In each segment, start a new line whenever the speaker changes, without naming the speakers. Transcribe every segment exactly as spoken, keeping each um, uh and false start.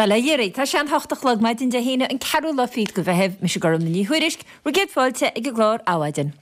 Bail ó Dhia oraibh, tá sé an hocht a chlog maidin Dé hAoine an ceathrú lá fichead de Mheitheamh, mise Gormfhlaith Ní Thuairisg, bhur gcéad fáilte ag an gclár Adhmhaidin.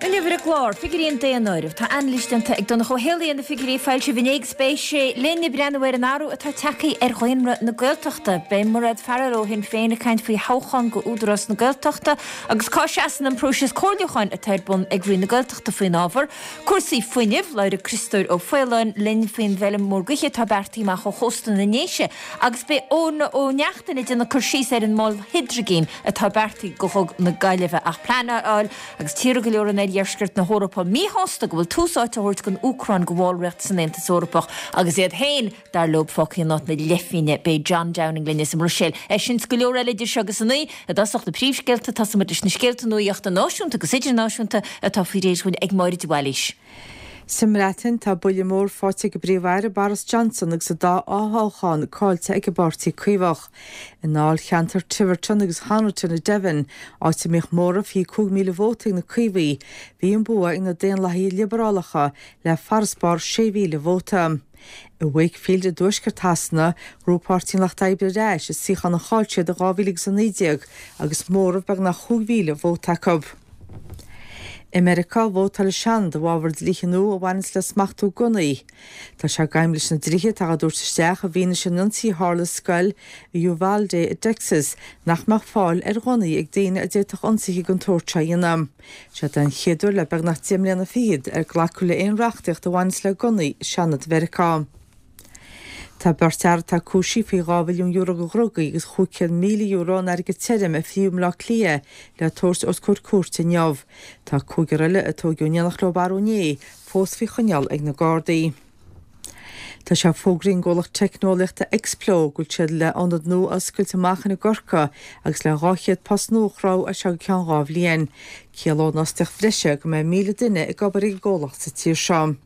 Inniu ar an gclár, figiúirí an daonáirimh. Tá anailís déanta ag Donncha Ó Héalaí ar na figiúirí a foilsíodh inné agus beidh sé linn ag breathnú ar an athrú atá tagtha ar dhaonra na Gaeltachta. Beidh Mairéad Farrell ó Shinn Féin ag caint faoi thoghchán go Údarás na Gaeltachta agus cá seasann an próiseas comhairliúcháin atá ar bun ag Roinn na Gaeltachta faoin ábhar. Cúrsaí fuinnimh, Labhróidh Criostóir Ó Faoláin linn faoin bhfeilm mhór gaoithe atá beartaithe amach ó chósta na nDéise agus beidh Eoin Ó Neachtain ag déanamh cur síos ar an mol hidrigine atá beartaithe go Dhug na Gaillimhe ach pleanáil agus tíortha go leor in oirdheisceart na hEorpa míshásta go bhfuil tús áite á thabhairt don Úcráin go bhallraíocht san Aontas Eorpach agus iad féin dar leo fágtha in áit na leithphingne. Beidh John Downing linn as an mBruiséil. É sin is go leor eile idir seo agus a naoi. I dtosach na príomhscéalta, tosóidh muid leis na scéalta nuaíochta náisiúnta agus idirnáisiúnta atá faoi réir dhúinn ag Máire de Bhailís.
Sa mBreatain, tá buille mór faighte ag an bPríomh-Aire Boris Johnson agus an dá fhothoghchán caillte ag an bPáirtí Caomhach. I ndáilcheantar Tiverton agus Honiton i Devon, áit a mbíodh móramh fiche cúig míle vóta ag na Caomhaigh, bhí an bua ag na Daonlathaithe Liobrálacha le farasbarr sé mhíle vóta. I Wakefield i dtuaisceart Shasana, ghnóthaigh Páirtí an Lucht Oibre ar ais an suíochán a chaill siad i dhá mhíle agus a naoi déag agus móramh beagnach chúig mhíle vóta acu. I Meiriceá, vótáil an Seanad i bhfabhar dlíthe nua a bhaineanns le smachtú gunnaí. Tá sé d'aidhm leis na dlíthe atá á dtabhairt isteach i bhfianaise an ionsaí a tharla i scoil i Uvalde i dTexas nach mbeadh fáil ar ghunnaí ag daoine a d'fhéadfadh ionsaithe den tsórt seo a dhéanamh. Seo den chéad uair le beagnach deich mbliana fichead ar glacadh le aon reachtaíocht a bhaineanns le gunnaí i Seanad Mheiriceá. Tá beirt fhear atá cúisithe faoi dhá mhilliún euro de dhrugaí agus chúig chéad míle euro in airgead tirim a fríodh i mBleá Cliath le tabhairt os comhair cúirte inniu. Tá cúigear eile a tóigeadh in éineacht leo arú inné fós faoi choinneáil ag na Gardaí. Tá sé fógraithe ag an gcomhlacht teicneolaíochta Explo go bhfuil siad le ionad nua a oscailt amach in i gCorcaigh agus le dhá chéad post nua a chruthú as seo go ceann dhá bhliain. Ciallóidh an fhostaíocht bhreise go mbeidh míle duine ag obair ag an gcomhlacht sa tír seo.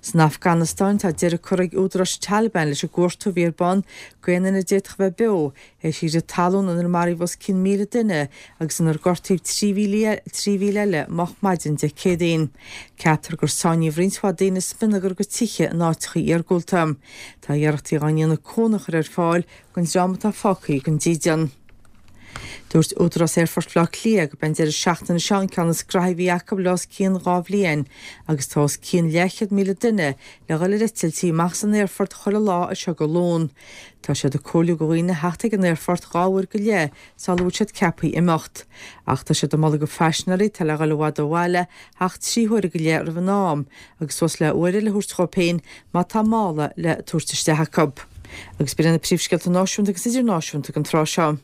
San Afganastáin, tá deireadh curtha ag údaráis an Taliban leis an gcuartú a bhí ar bun d'aon duine a d'fhéadfadh a bheith beo théis chrith talún inar maraíodh os cionn míle duine agus inar gortaíodh trí mhíle eile moch maidin Dé Céadaoin. Ceaptar gur sáinníodh roinnt mhaith daoine i smionagar a gcuid tithe in áiteacha iargúlta. Tá iarrachtaí á ndéanamh cónaí a chur ar fáil don dream atá fágtha gan dídean. Dúirt Údarás Aerfort Bhaile Átha Cliath gurb é an deireadh seachtaine seo an ceann is graithí a bhí acu le os cionn dhá bhliain agus tá os cionn leathchéad míle duine le dhul ar eitiltí amach as an aerfort chuile lá as seo go Luan. Tá siad ag comhairliú do dhaoine theacht ag an aerfort dhá uair go leith sula bhfuil siad ceaptha imeacht. Ach tá siad ag moladh do phaisinéirí atá le dhul i bhfad ó bhaile theacht trí huaire go leith roimh an am agus suas le uair eile a thabhairt dhóibh féin má tá mála le tabhairt isteach acu. Agus b'in iad na príomhscéalta náisiúnta agus idirnáisiúnta don tráth seo.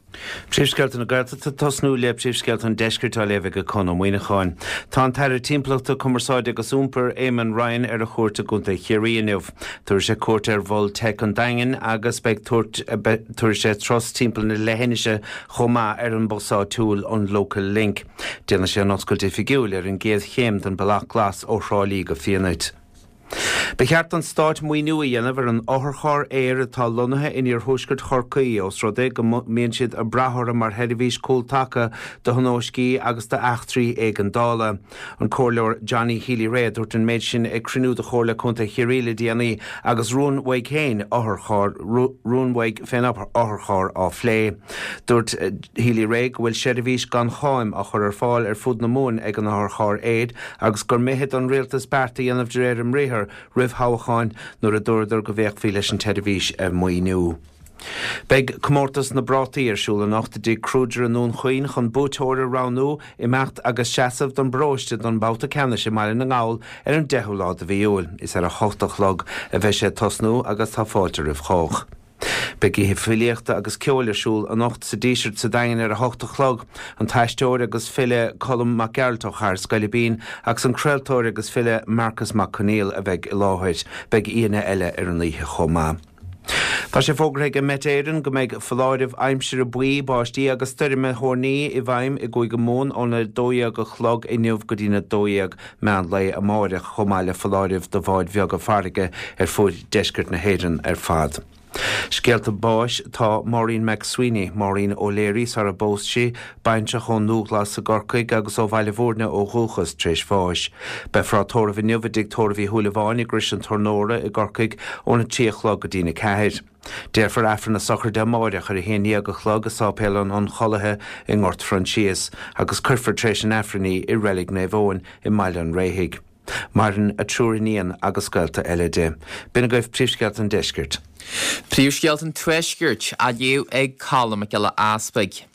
Príomhscéalta na Gaeltachta tosnú le príomhscéalta an Deiscirt á léamh ag Conn Ó Muíneacháin. Tá an tAire Timpeallachta, Cumarsáide agus Iompair, Eamon Ryan ar a chuairt i gContae Chiarraí inniu. Tabharfaidh sé cuairt ar Mhol Teic an Daingin agus beidh tabharfaidh sé turas timpeall na leithinise chomh maith ar an bhus áitiúil, an Local Link. Déanfaidh sé an oscailt oifigiúil ar an gcéad chéim den Bealach Glas ó Thrá Lí go Fianait. Ba cheart don Stát maoiniú a dhéanamh ar an otharcharr aeir atá lonnaithe in iarthuaisceart Chorcaí ós rud é go mbíonn siad ag brath orthu mar sheirbhís cúltaca do thionóiscí agus d'eachtraí éigeandála. An Comhairleoir Johnny Healy-Rae a dúirt an méid sin ag cruinniú de Chomhairle Contae Chiarraí le déanaí agus rún uaidh féin otharcharr rún uaidh fén otharcharr á phlé. Dúirt Healy-Rae go bhfuil seirbhís gan cháim á chur ar fáil ar fud na Mumhan ag an otharcharr aeir agus gur mithid don rialtas beart a dhéanamh de réir a mbriathair roimh thoghcháin nuair a dúradar go bhféachfaí leis an tseirbhís a mhaoiniú. Beidh Comórtas na bPrátaí ar siúl anocht i dTigh Kruger i nDún Chaoin chun buaiteoir a roghnú, imeacht agus seasamh don bparóiste don mbabhta ceannais i mBaile na nGall ar an deichiú lá de mhí Iúil. Is ar a hocht a chlog a bheidh sé ag tosnú agus tá fáilte roimh chách. Beidh oíche filíochta agus ceoil ar siúl anocht sa Díseart sa Daingean ar a hocht a chlog. An t-aisteoir agus file Colm Mac Gearailt ó Chathair Scoilbín agus an craoltóir agus file Marcus Mac Conghail a bheidh i láthair. Beidh aíonna eile ar an oíche chomh maith. Tá sé fógartha ag Met Éireann go mbeidh foláireamh aimsire buí, báistí agus stoirme thoirní i bhfeidhm i gCúige Mumhan óna dó dhéag a chlog inniu go dtína dó dhéag meán lae amáireach, chomh maith le foláireamh do bháid bheaga farraige ar fuaid deisceart na hÉireann ar fad. Scéalta báis tá Maureen McSweeney, Maureen O'Leary sara bpós sí, baintreach ón nDúghlas i gCorcaigh agus ó Bhaile Bhúirne ó dhúchas tar éis bháis. Beifear á tórramh inniu i dTigh Tórraimh Uí Shúilleabháin i gCrois an Tornóra i gCorcaigh óna trí a chlog go dtína ceathair. Déarfar Aifreann na sochraide amáireach ar a haon déag a chlog i Sáipéal an Ionchollaithe i nGort Phroinsias agus cuirfear tar éis an Aifrinn í i Reilig Naomh Eoin i mBaile an Réithigh. Maireann a triúr iníon agus gaolta eile di. B'in agaibh príomhscéalta an deiscirt.
Príomhscéalta an tuaiscirt á léamh ag Colm Mac Giolla Easpaig.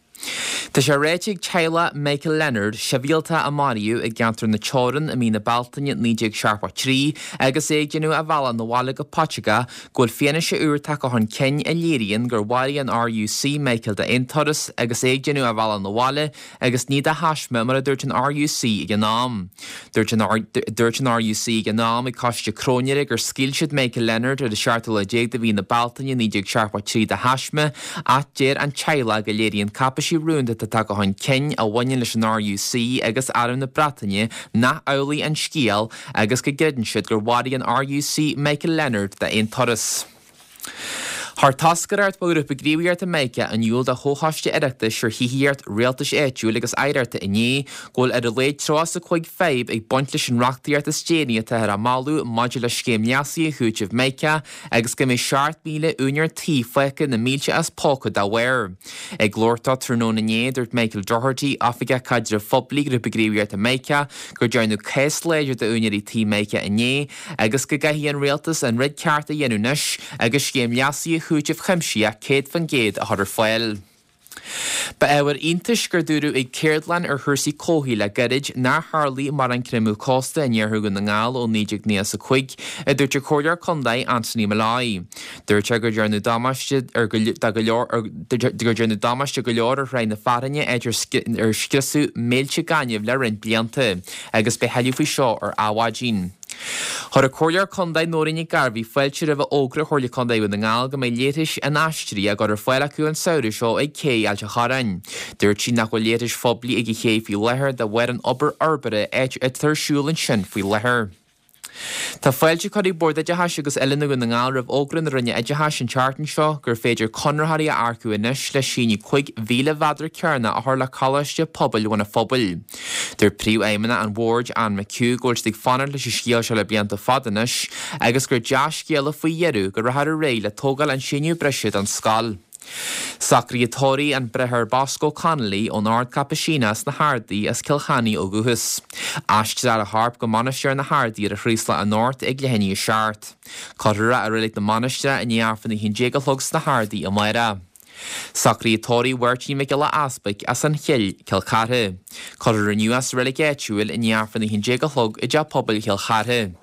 Tá sé ráite ag teaghlach Michael Leonard, sibhialtach a maraíodh i gceantar na Teorann i mí na Bealtaine naoi déag seachtó a trí agus é ag déanamh a bhealach 'na bhaile go Portugal, go bhfuil fianaise úr tagtha chun cinn a léiríonn gur mharaigh an RUC Michael d'aon turas agus é ag déanamh a bhealach 'na bhaile agus ní de thaisme mar a dúirt an RUC ag an am. Dúirt an dúirt an RUC ag an am ag Coiste Cróinéara gur scaoil siad Michael Leonard ar an seachtú lá déag de mhí na Bealtaine naoi déag seachtó a trí de thaisme ach deir an teaghlach go léiríonn cáipéisí rúnda atá tagtha chun cinn a bhaineann leis an RUC agus Arm na Breataine nach amhlaidh an scéal agus go gcreideann siad gur mharaigh an RUC Michael Leonard d'aon turas. Chuir toscaireacht ó Ghrúpa Gníomhaíochta Mica in iúl do Chomhchoiste Oireachtais ar Thithíocht, Rialtais Áitiúil agus Oidhreachta inné go bhfuil ar a laghad tríocha is a cúig fadhb ag baint leis an reachtaíocht is déanaí atáthar á moladh maidir le scéim léasaithe chúitimh Mica agus go mbeidh seacht míle úinéir tí fágtha na mílte as póca dá bharr. Ag labhairt dó tráthnóna inné, dúirt Michael Doherty, Oifigeach Caidrimh Phoiblí Ghrúpa Gníomhaíochta Mica, gur dearnadh cás láidir d'úinéirí tí Mica inné agus go gcaithfidh an rialtas an rud ceart a dhéanamh anois agus scéim léasaithe chúitimh chuimsitheach céad faoin gcéad a chur ar fáil. Ba ábhar iontais gur dúradh ag ceardlann ar chúrsaí comhshaoil le gairid nár tharlaigh mórán creimeadh cósta in iarthar Dhún na nGall ó naoi déag nócha a cúig, a dúirt an Comhairleoir Contae Anthony Molloy. Dúirt sé gur dearnadh damáiste ar go leor gur dearnadh damáiste go leor ar Thráigh na Fearthainne áit ar scriosadh mílte gainimh le roinnt blianta, agus beidh tuilleadh faoi seo ar Adhmhaidin. Chuir an Comhairleoir Contae Nóirín Nic Gairbhí fáilte roimh fhógra Chomhairle Contae Dhún na nGall go mbeidh leithris inaistrithe á gcur ar fáil acu an samhradh seo ag Cé Ailt an Chorráin. Dúirt sí nach bhfuil leithris phoiblí ag an ché faoi láthair de bharr an obair fhorbartha atá ar siúl ansin faoi láthair. Tá fáilte curtha ag Bord Oideachais agus Oiliúna Dhún na nGall roimh fhógra na Roinne Oideachais an tseachtain seo gur féidir conraitheoirí a earcú anois le síneadh cúig mhíle mhéadar cearnach a chur le Coláiste Pobail Bhun an Phobail. Dúirt Príomhfheidhmeannach an Bhoird, Anne McHugh, go bhfuil siad ag fanacht leis an scéal seo le blianta fada anois agus gur dea-scéala faoi dheireadh go rachfar ar aghaidh le tógáil an síneadh breise don scoil. Socruithe tórraimh an Bráthair Bosco Connolly ón Ord Caipisíneach sna hArdaí as Cill Chainnigh ó dhúchas. Aistreofar a chorp go Mainistir na hArdaí ar an Chraoslach anocht ag leath i ndiaidh a seacht. Cuirfear é i Reilig na Mainistreach i ndiaidh Aifreann a haon déag a chlog sna hArdaí amárach. Socruithe tórraimh Mháirtín Mhic Giolla Easpaig as an Chill, Cill Chartha. Cuirfear inniu é sa reilig áitiúil i ndiaidh Aifreann a haon déag a chlog i dTeach Pobail Chill Chartha.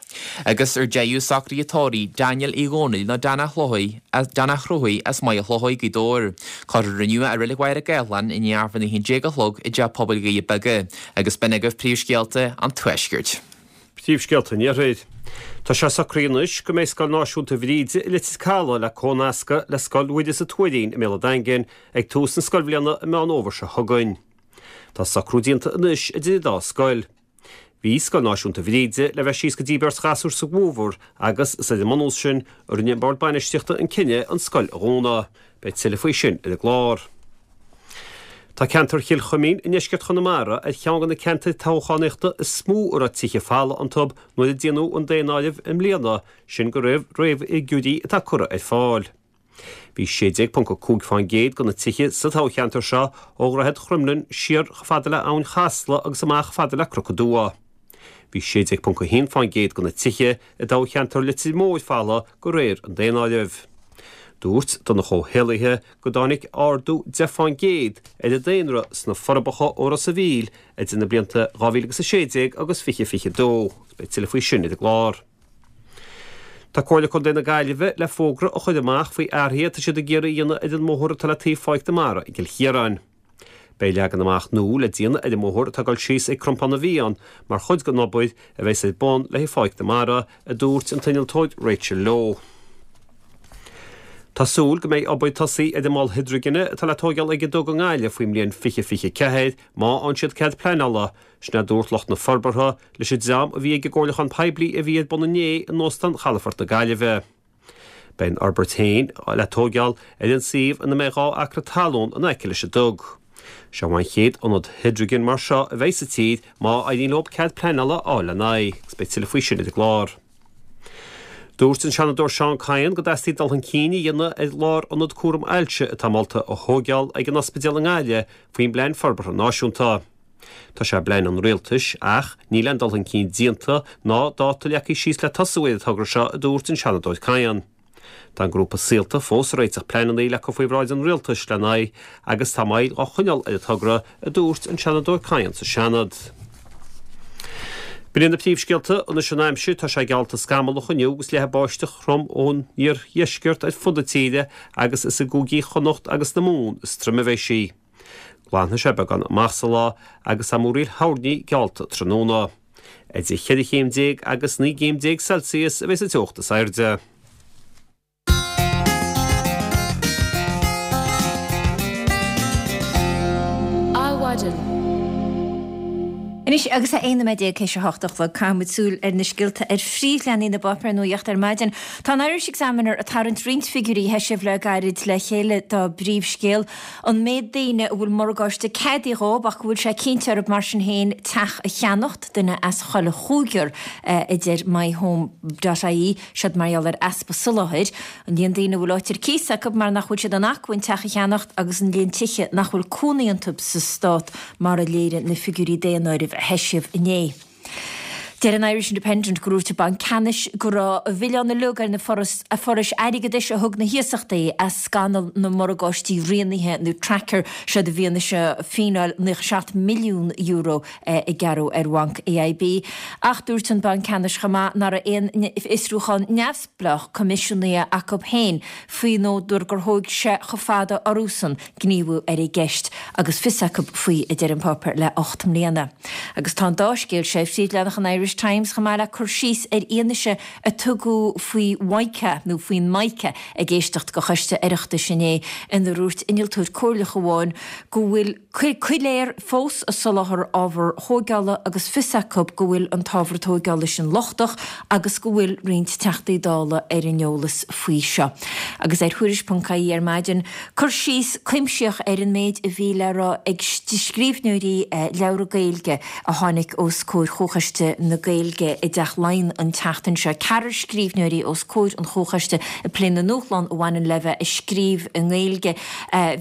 Agus ar deireadh socruithe tórraimh Daniel Uí Dhónaill nó Dan a' Chlóidh, Dan a' Chruthaigh as Maigh Chlóidh, Gaoth Dobhair. Cuirfear inniu é i Reilig Mhachaire Gathlán i ndiaidh Aifreann a haon déag a chlog i dTeach Pobail Dhoirí Beaga. Agus b'in agaibh príomhscéalta an Tuaiscirt.
Príomhscéalta an Iarthair. Tá sé socraithe anois go mbeidh Scoil Náisiúnta Bhríde i Leitir Caladh le comhnascadh le Scoil Mhuire sa Tuairín i mBéal an Daingin ag tús na scoilbhliana i Meán Fhómhair seo chugainn. Tá socrú déanta anois idir an dá scoil. Bhí Scoil Náisiúnta Bhríde le bheith síos go dtí beirt ghasúr sa bhfómhar agus is ar an mbunús sin a rinne an Bord Bainistíochta an cinneadh an scoil a dhúnadh. Beidh tuilleadh faoi sin ar an gclár. Tá ceantar Chill Chuimín i ndeisceart Chonamara ar cheann de na ceantair toghchánaíochta is mó a raibh tithe folamh iontu nuair a déanadh an daonáireamh i mbliana, sin de réir fhigiúirí atá curtha ar fáil. Bhí sé déag ponc a cúig fán gcéad de na tithe sa toghcheantar seo ó Dhroichead Chroimlinn siar chomh fada le Abhainn Chasla agus amach chomh fada le Cnoc an Dua. Bhí sé déag ponc a haon fán gcéad de na tithe i dtoghcheantar Leitir Móir folamh de réir an daonáirimh. Dúirt Donncha Ó hÉallaithe go dtáinig ardú deich fán gcéad ar an daonra sna Forbacha ó Ros a' Mhíl idir na blianta dhá mhíle agus a sé déag agus fiche fiche dó. Beidh tuilleadh faoi sin ar an gclár. Tá Comhairle Contae na Gaillimhe le fógra a chur amach faoi athruithe atá siad ag iarraidh a dhéanamh ar an mbóthar atá le taobh Pháirc na Mara i gCill Chiaráin. Beidh leagan amach nua le déanamh ar an mbóthar atá ag dul síos ag Crompán na bhFiann mar chuid den obair a bheas ar bun le haghaidh Pháirc na Mara, a dúirt an t-innealtóir Rachel Lowe. Tá súil go mbeidh obair tosaithe ar an mol hidrigine atá le tóigeáil ag an dug i nGaillimh faoin mbliain fiche fiche ceathair má fhaigheann siad cead pleanála, sin a dúirt lucht na forbartha leis an dream a bhí ag an gcomhairliúchán poiblí a bhí ar bun inné in Óstán Chalafort na Gaillimhe. Beidh an fhorbairt féin le tógáil ar an suíomh ina mbeidh dhá acra talún in aice leis an dug. Seo an chéad ionad hidrigine mar seo a bheidh sa tír má éiríonn leo cead pleanála a fháil lena aghaidh, agus beidh tuilleadh faoi sin ar an gclár. Dúirt an Seanadóir Seán Kyne go dteastaíonn dul chun cinn a dhéanamh ar lárionad cúram ailse atá molta a thógáil ag an ospidéal i nGaillimh faoin bPlean Forbartha Náisiúnta. Tá sé i bplean an rialtais ach níl aon dul chun cinn déanta ná dáta leagtha síos le tosú ar an togra seo, a dúirt an Seanadóir Kyne. Tá an grúpa Saolta fós ag réiteach pleananna le cur faoi bhráid an rialtais lena aghaidh agus tá moill á choinneáil ar an togra, a dúirt an Seanadóir Kyne sa Seanad. B'in iad na príomhscéalta anois an aimsir, tá sé geallta scamallach inniu agus leathfaidh báisteach throm ón iardheisceart ar fud na tíre agus is i gcúigí Chonnacht agus na Mumhan is troime a bheidh sí. Glanfaidh sé beagán amach sa lá agus tá múraíl thoirní geallta tráthnóna. Idir cheithre chéim déag agus naoi gcéim déag Celsius a bheidh sa teocht is airde.
Adhmhaidin. Anois agus é aon nóiméad déag théis a hocht a chlog, caithfidh muid súil ar na scéalta ar phríomhleathanaigh na bpáipéar nuachta ar maidin. Tá an Irish Examiner ag tarraingt roinnt figiúirí a heisíodh le gairid le chéile dá bpríomhscéal, an méid daoine a bhfuil morgáiste ceadaithe dhóibh ach go bhfuil sé cinnte orthu mar sin féin teach a cheannacht, duine as chuile chúigear, a deir MyHome dot ie, siod mar gheall ar easpa soláthair. An líon daoine a bhfuil áit ar cíos acu mar nach bhfuil siad in acmhainn teach a cheannacht agus an líon tithe nach bhfuil cónaí iontu sa stát mar a léirigh na figiúirí daonáirimh a heisíodh inné. Deir an Irish Independent gur dhúirt an Banc Ceannais go raibh an milleán uilig ar na forais airgeadais a thug na hiasachtaí as scannal na morgáistí rianaithe nó tracker, siod i bhfianaise fíneáil naocha seacht milliún euro a gearradh ar bhanc AIB. Ach dúirt an Banc Ceannais chomh maith nach raibh aon fhiosrúchán neamhspleách coimisiúnaithe acu féin faoin údar gur thóg sé chomh fada orthusan gníomhú ar an gceist agus fios acu faoi, a deir an páipéar, le ocht mbliana. Agus tá an dá scéal seo ar phríomhleathanach an Irish Times chomh maith le cur síos ar fhianaise a tugadh faoi Mhica nó faoin Mica ag éisteacht do choiste Oireachtais inné inar dhúirt innealtóir comhairleach amháin go bhfuil Coiléar fós ag soláthar ábhar tógála agus fios acu go bhfuil an t-ábhar tógála sin lochtach agus go bhfuil roinnt Teachtaí Dála ar an eolas faoi seo. Agus ar Thuairisc ponc ie ar maidin, cur síos cuimsitheach ar an méid a bhí le rá ag scríbhneoirí leabhra Gaeilge a tháinig os comhair Chomhchoiste na Gaeilge i dTeach Laighean an tseachtain seo. Ceathrar scríbhneoirí os comhair an Chomhchoiste ag plé na ndúshlán a bhaineann le bheith ag scríobh i nGaeilge.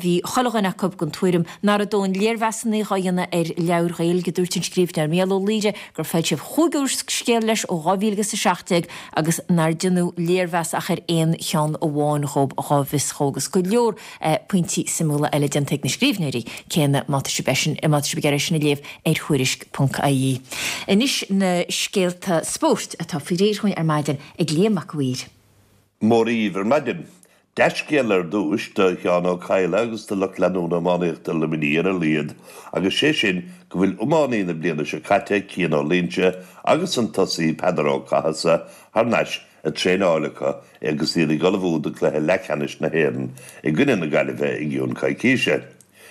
Bhí chuile dhuine acu den tuairim nach raibh dóthain léirmheasanna á dhéanamh ar leabhair Ghaeilge. Dúirt an scríbhneoir Mícheál Ó Laoire gur foilsíodh chúig úrscéal leis ó dhá mhíle agus a seacht déag agus nár deineadh léirmheas ach ar aon cheann amháin dhób dhá bhfios dhó agus go leor pointí suimiúla eile déanta ag na scríbhneoirí céanna má tá sibh má tá sibh ag iarraidh é sin a léamh ar Thuairisc ponc ie. Anois na scéalta spóirt atá faoi réir dhúinn ar maidin ag Liam Mac a' Mhaoir.
Mora dhaoibh ar maidin. Dea-scéal ar dtúis do Sheán Ó Cadhla agus do lucht leanúna iománaíochta Luimnigh ar a laghad agus sé sin go bhfuil iománaí na bliana seo caite, Cian Ó Loingsigh agus an tosaí Peadar Ó Cathasaigh thar n-ais ag traenáil acu agus iad ag ullmhú do chluiche leathcheannais na hÉireann i gcoinne na Gaillimhe i gcionn coicíse.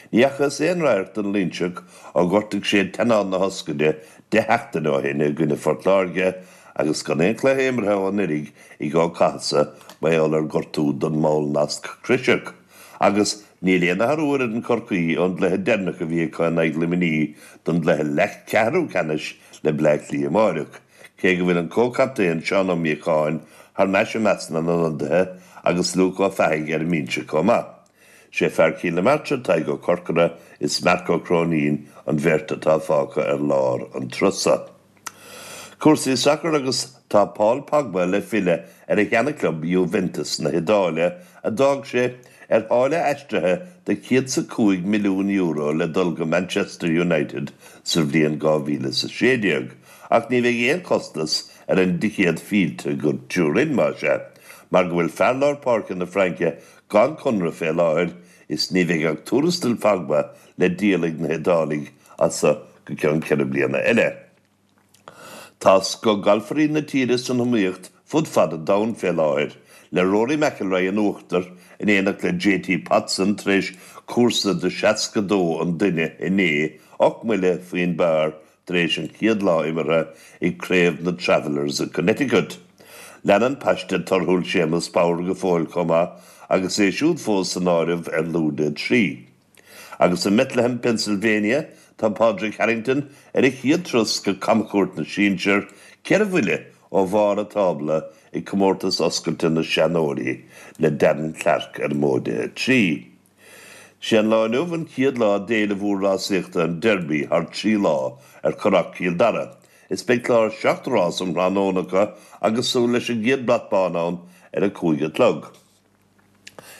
Ní fhacthas aon radharc den Loingseach ó ghortaigh sé teannán na hioscaide deich seachtaine ó shin i gcoinne Phort Láirge agus gan aon chluiche imeartha ó anuraidh ag Ó Cathasaigh mar gheall ar ghortú don mball nasc croiseach. Agus níl aon athrú ar fhoireann Chorcaí ón gcluiche deireanach a bhí acu in aghaidh Luimnigh don gcluiche leathcheathrú ceannais le Bleá Cliath amáireach, cé go bhfuil an comhchaptaen Seán Ó Míocháin thar n-ais i measc na n-ionadaithe agus Luke Ó Fathaigh ar an mbinse chomh maith. Sé fear Chill na Martra, Tadhg Ó Corcora is Marc Ó Cróinín an bheirt atá fágtha ar lár an trusa. Cúrsaí sacair agus tá Paul Pogba le filleadh ar a sheanachlub Juventus na hIodáile a d'fhág sé ar tháille aistrithe de céad 's a cúig milliún euro le dul go Manchester United sa bhliain dhá mhíle 's a sé déag ach ní bheidh aon chostas ar an dticéad fillte go Turin más ea mar go bhfuil fear lár páirce na Fraince Gan conradh fé láthair is ní bheidh ach tuarastal Phogba le díol ag na hIodálaigh as seo go ceann ceithre bliana eile. Tá scoth galfairí na tíre san iomaíocht fud fad an domhain fé láthair, le Rory McIlroy in uachtar in éineacht le JT Poston tar éis cúrsa de seasca dó an duine inné, ocht mbuille faoin bpar tar éis an chéad lá imeartha ag Craobh na Travelers i Connecticut. Leanann paiste torthúil Séamus Power go fóill chomh maith agus é siúd fós san áireamh ar lúide a trí. Agus i mBethlehem, Pennsylvania, tá Padraig Harrington ar a chéad turas go camchuairt na sinsear, ceithre bhuille ó bharr an tábla i gcomórtas oscailte na seanóirí le Darren Clarke ar móide a trí. Sé an lá inniu an chéad lá d'fhéile mhór rásaíochta an Derby thar trí lá ar Churrach Chill Dara. Is beidh clár seacht rás um thráthnóna acu agus súil leis an gcéad brat bán ann ar a cúig a chlog.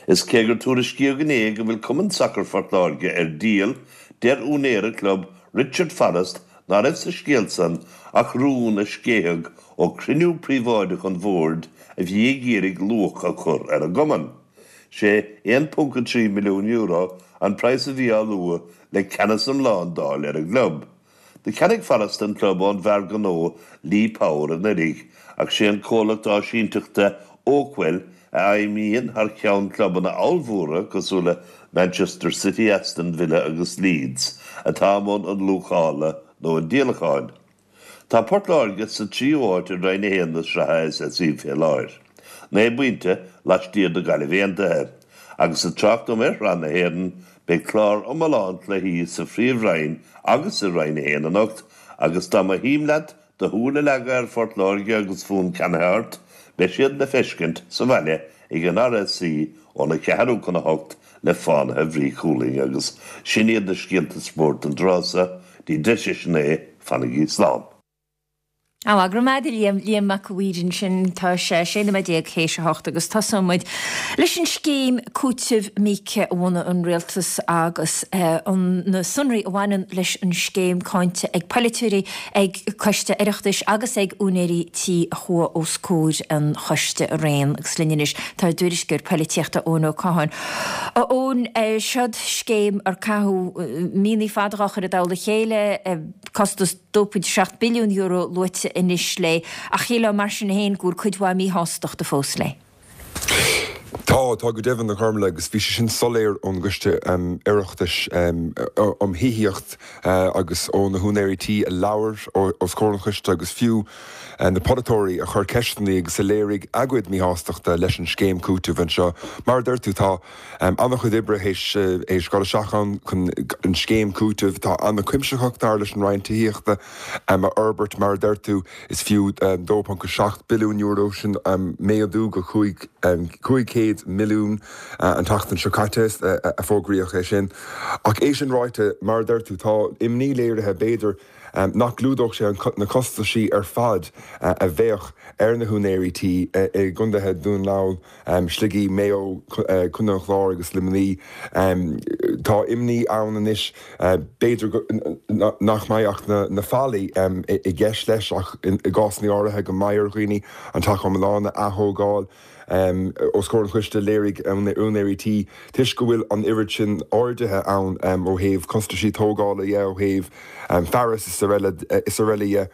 Is cé gur tuairiscíodh inné go bhfuil Cumann Sacair Phort Láirge ar díol, deir úinéir an chlub, Richard Forrest, ná raibh sa scéal san ach rún a sceitheadh ó chruinniú príobháideach an bhoird a bhí ag iarraidh luach a chur ar an gcumann. Sé aon ponc a trí milliún euro an praghas a bhí á lua le ceannas iomlán d'fháil ar an gclub. Do cheannaigh Forrest an club ón bhfear gnó Lee Power anuraidh ach sé an comhlacht áisínteachta Oakwell a fheidhmíonn thar ceann clubanna ollmhóra cosúil le Manchester City, Aston Villa agus Leeds atá i mbun an luachála nó an díolacháin. Tá Port Láirge sa tríú háit i Roinn a haon na sraithe S S E fé láthair, naoi bpointe laistiar de Ghaillimh Aontaithe. Agus ag trácht dom ar Shraith na hÉireann, beidh clár iomlán cluichí sa Phríomh-Roinn agus i Roinn a haon anocht agus dá mba shuim leat do shúil a leagadh ar Phort Láirge agus fonn ceannaithe ort, beidh siad le feiscint sa bhaile ag an R S C óna ceathrú chun a hocht le Fánaithe Bhrí Chualainn agus sin iad na scéalta spóirt an tráth so. Dtí deis a naoi, fanaigí slán.
Á, go raibh maith agat a Liam, Liam Mac a' Mhaoir ansin. Tá sé sé nóiméad déag théis a hocht agus tosóidh muid leis an scéim cúitimh míoca a bhunaigh an rialtas agus an na sonraí a bhaineann leis an scéim cáinte ag polaiteoirí, ag coiste Oireachtais agus ag úinéirí tí a chuaigh os comhair an choiste araon. Agus linn anois tá ár dtuairisceoir polaitíochta Eoin Ó Catháin. A Eoin, seod scéim ar caitheadh míonna fada á chur i dtoll a chéile, costas dó ponc seacht billiún euro luaite anois léi, ach shílfeá mar sin féin go bhfuil cuid mhaith míshástachta fós léi.
Tá, tá go deimhin a Chormaic, agus bhí sé sin soiléir ón gcoiste Oireachtais um thithíocht agus ó na húinéirí tí a labhair os comhair an choiste agus fiú na polaiteoirí a chuir ceisteanna agus a léirigh a gcuid míshástachta leis an scéim cúitimh anseo. Mar a deir tú, tá an-chuid oibre théis dul isteach ann chun an scéim cúitimh atá an-chuimsitheach dar leis an Roinn Tithíochta a fhorbairt. Mar a deir tú, is fiú dó ponc a seacht billiún euro sin, méadú go cúig cúig chéad milliún an tseachtain seo caite a fógraíodh é sin. Ach é sin ráite, mar a deir tú, tá imní léirithe b'fhéidir nach gclúdódh sé na costaisí ar fad a bheadh ar na húinéirí tí i gcontaetha Dhún na nGall, Shligigh, Maigh Eo, Contae an Chláir agus Luimnigh. Tá imní ann anois b'fhéidir nach mbeidh ach na fallaí i gceist leis ach i gcásanna áirithe go mbeidh ar dhaoine an teach iomlán a ath-thógáil. Os comhair an choiste, léirigh úinéirí tí, toisc go bhfuil an oiread sin arduithe ann ó thaobh costaisí tógála dhe, ó thaobh fearas is araile is araile dhe,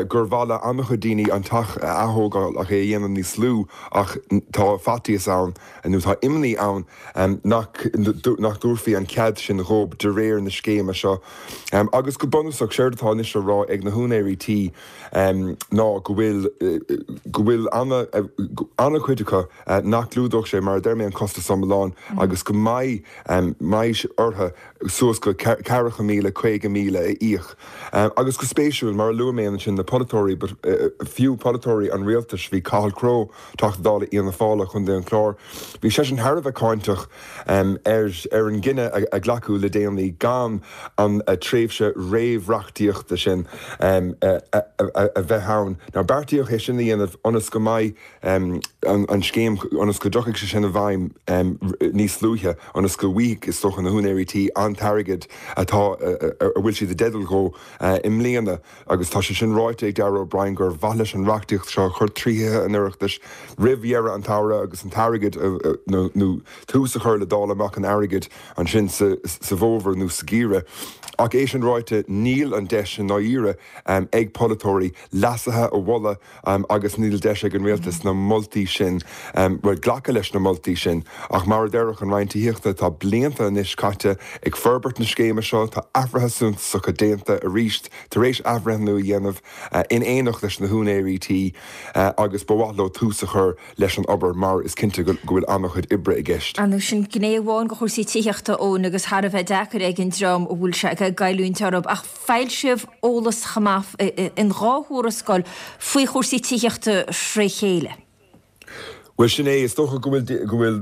gur mhaith le an-chuid daoine an teach a ath-thógáil ach é a dhéanamh níos lú ach tá faitíos ann nó tá imní ann nach nach dtabharfaí an cead sin dhóibh de réir na scéime seo. Agus go bunúsach, séard atá anois á rá ag na húinéirí tí ná go bhfuil go bhfuil an-chuid acu nach gclúdódh sé, mar a deir mé, an costas iomlán agus go mbeidh mbeidh orthu suas go ceathracha míle, caoga míle a íoc. Agus go spéisiúil, mar a luaigh mé ansin, na polaiteoirí, fiú polaiteoirí an rialtais, bhí Cathal Crowe, Teachta Dála Fhianna Fáil Chontae an Chláir, bhí seisean thar a bheith cáinteach ar ar an gcinneadh a glacadh le déanaí gan an tréimhse réamhreachtaíochta sin a bheith ann. Now beartaíodh é sin a dhéanamh ionas go mbeidh an scéim, ionas go dtiocfaidh sé sin i bhfeidhm níos luaithe, ionas go bhfaighidh, is dócha, na húinéirí tí an t-airgead atá, a bhfuil siad i dteideal dhó i mbliana. Agus tá sé sin ráite ag Darragh O'Brien gur mhaith leis an reachtaíocht seo a chur trí Thithe an Oireachtais roimh dheireadh an tsamhraidh agus an t-airgead nó tús a chur le dáileadh amach an airgid ansin sa bhfómhar nó sa gheimhreadh. Ach é sin ráite, níl an deis i ndáiríre ag polaiteoirí leasuithe a mholadh agus níl deis ag an rialtas na moltaí sin, bhuel, glacadh leis na moltaí sin. Ach mar a déarfadh an Roinn Tithíochta, tá blianta anois caite ag forbairt na scéime seo, tá athruithe suntasacha déanta arís arís tar éis athbhreithniú a dhéanamh in éineacht leis na húinéirí tí agus ba mhaith leo tús a chur leis an obair mar is cinnte go bhfuil an-chuid oibre i gceist.
Ar ndóigh sin gné amháin de chúrsaí tithíochta Eoin agus thar a bheith deacair ag an dream a bhfuil sé ag goilliúint orthu ach foilsíodh eolas chomh maith in dhá thuarascáil faoi chúrsaí tithíochta fré chéile.
Bhuel sin é, is dócha go bhfuil go bhfuil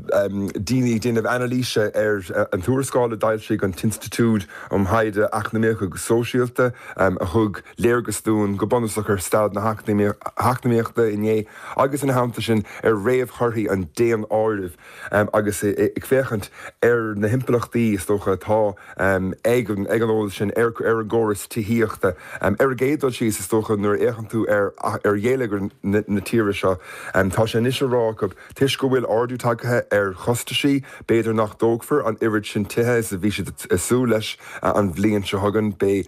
daoine ag déanamh anailíse ar an tuarascáil a d'fhoilsigh an tInstitiúid um Thaighde Eacnamaíoch agus Sóisialta a thug léargas dúinn go bunúsach ar staid na heacnamaíochta inné agus ina theannta sin ar réamhthorthaí an daonáirimh agus ag féachaint ar na himpleachtaí is dócha atá ag an ag an eolas sin ar ar an gcóras tithíochta. Ar an gcéad dul síos is dócha nuair a fhéachann tú ar ar gheilleagar na tíre seo tá sé anois á rá acu toisc go bhfuil ardú tagtha ar chostaisí, b'fhéidir nach dtógfar an oiread sin tithe is a bhí siad ag súil leis an bhliain seo chugainn. Beidh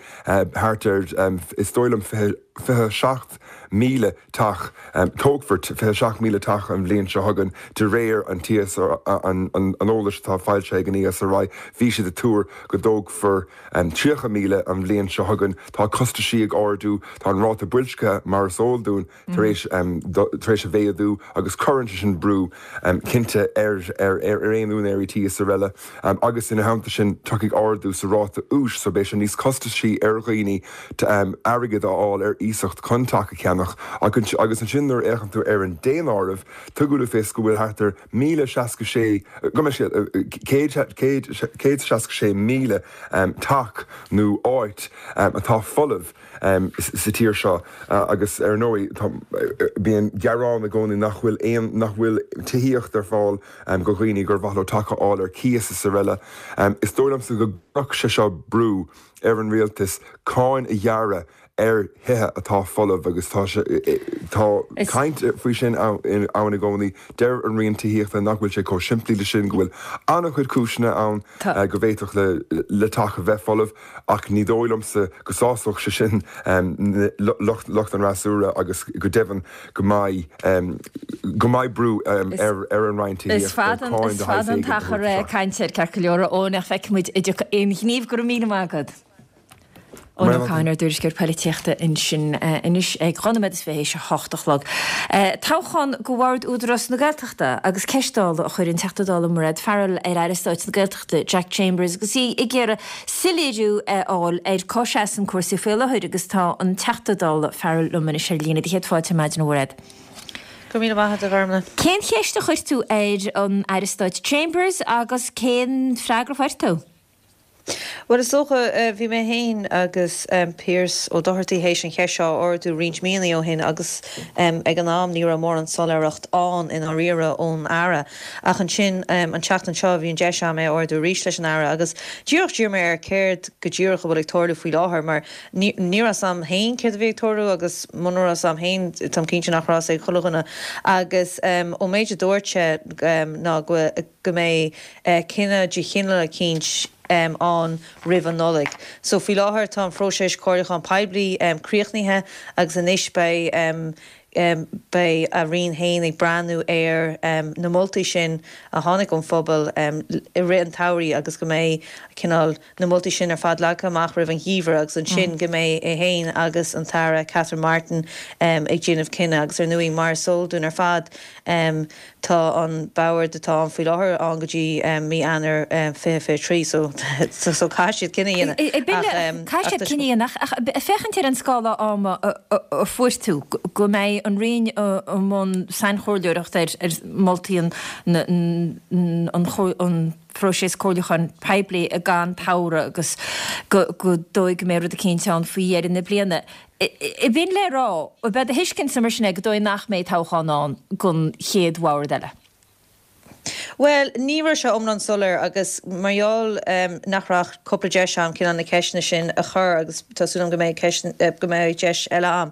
thart ar, is dóigh liom, fiche seacht míle teach, tógfar fiche seacht míle teach an bhliain seo chugainn de réir an an eolais atá foilsithe ag an ESRI. Bhí siad ag tuar go dtógfar tríocha míle an bhliain seo chugainn. Tá costaisí ag ardú, tá an ráta boilscithe, mar is eol dúinn, tar éis tar éis a mhéadú agus cuireann sé sin brú cinnte ar ar ar aon úinéirí tí is araile. Agus ina theannta sin tiocfaidh ardú sa ráta úis so beidh sé níos costasaí ar dhaoine airgead a fháil ar iasacht chun teach a cheannach. Agus ansin nuair a fhéachann tú ar an daonáireamh, tugadh le fios go bhfuil thart ar míle seasca sé, go mbeidh sé céad céad céad seasca sé míle teach nó áit atá folamh sa tír seo agus ar ndóigh tá bíonn gearán i gcónaí nach bhfuil aon nach bhfuil tithíocht ar fáil go dhaoine gur mhaith leo teach a fháil ar cíos is araile. Is dóigh liomsa go gcuirfeadh sé seo brú ar an rialtas cáin a ghearradh ar thithe atá folamh agus tá sé tá caint faoi sin ann i gcónaí. Deir an Roinn Tithíochta nach bhfuil sé chomh simplí le sin, go bhfuil an-chuid cúiseanna ann go bhféadfadh le le teach a bheith folamh ach ní dóigh liomsa go sásódh sé sin lucht lucht an fhreasúra agus go deimhin go mbeidh go mbeidh brú ar ar an Roinn
Is
Tithíochta
fada
cáin
is
de shaghas
fada an
éigin a
t-achar
thabhairt isteach.
cainte air ceart go leor Eoin ach feicfimid an dtiocfaidh aon ghníomh go raibh míle maith agat. Eoin Ó Cadhain ár dtuairisceoir polaitíochta ansin anois ag dhá nóiméad is fiche théis a hocht a chlog. Toghchán go Bhord Údarás na Gaeltachta agus ceist dála a chuir an Teachta Dála Mairéad Farrell ar Aire Stáit na Gaeltachta Jack Chambers agus í ag iarraidh soiléiriú a fháil ar cá seasann cúrsaí faoi láthair agus tá an Teachta Dála Farrell liom anois ar líne. Céad fáilte ar maidin a Mhairéad.
Go raibh míle maith agat a Ghormlaith.
Cén cheist a chuir tú ar an Aire Stáit Chambers agus cén freagra a fuair tú?
Bhuel is dócha bhí mé féin agus Pearse Ó Dochartaigh théis an cheist seo a ardú roinnt míonna ó shin agus ag an am ní raibh mórán soiléireacht ann i ndáiríre ón Aire. Ach ansin an tseachtain seo bhí an deis agam é a ardú arís leis an Aire agus díreach d'iarr mé air céard go díreach a bhfuil ag tarlú faoi láthair mar ní raibh a fhios agam féin céard a bhí ag tarlú agus muna raibh a fhios agam féin táim cinnte nach raibh a fhios ag chuile dhuine agus ón méid a dúirt sé ná go go mbeidh cinneadh de chineál eicínt ann roimh an Nollaig. So faoi láthair tá an phróiseas comhairliúchán poiblí críochnaithe agus anois beidh beidh a Roinn féin ag breathnú ar na moltaí sin a tháinig ón phobal i rith an tsamhraidh agus go mbeidh cineál na moltaí sin ar fad leagtha amach roimh an gheimhreadh agus ansin go mbeidh é féin agus an tAire Catherine Martin ag déanamh cinneadh agus ar ndóigh mar is eol dúinn ar fad tá an bord atá ann faoi láthair ann go dtí mí Eanáir fiche fiche trí so so caithfidh siad cinneadh a dhéanamh
Caithfidh siad cinneadh a dhéanamh ach féachaint ar an scála ama a fuair tú go mbeidh an Roinn i mbun sainchomhairleoireacht ar ar moltaí an an phróiseas comhairliúcháin poiblí gan tsamhradh agus go go dóigh go mbeidh rud eicínt ann faoi dheireadh na bliana. B'in le rá, b'é do thuiscint mar sin é go dóigh nach mbeidh toghchán ann don chéad bhord eile.
Bhuel, ní raibh sé iomlán soiléir agus mar gheall nach raibh cúpla deis agam cineál na ceisteanna sin a chur agus tá súil agam go mbeidh ceist go mbeidh deis eile agam,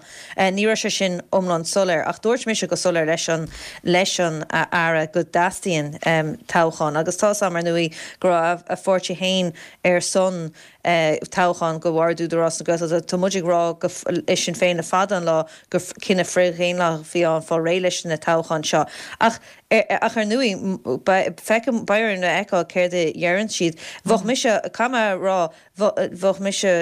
ní raibh sé sin iomlán soiléir. Ach dúirt mise go soiléir leis an leis an Aire go dteastaíonn toghchán agus tá a fhios agam ar ndóigh go raibh a pháirtí féin ar son toghchán go Bhord Údarás na Gaeltachta. Tá muid ag rá go i Sinn Féin le fada an lá gur cinneadh frithdhaonlathach a bhí ann fáil réidh leis na toghcháin seo. Ach ach ar ndóigh feicim beidh orainn a fheiceáil céard a dheireann siad. Bheadh mise, caithfidh mé a rá, bheadh mise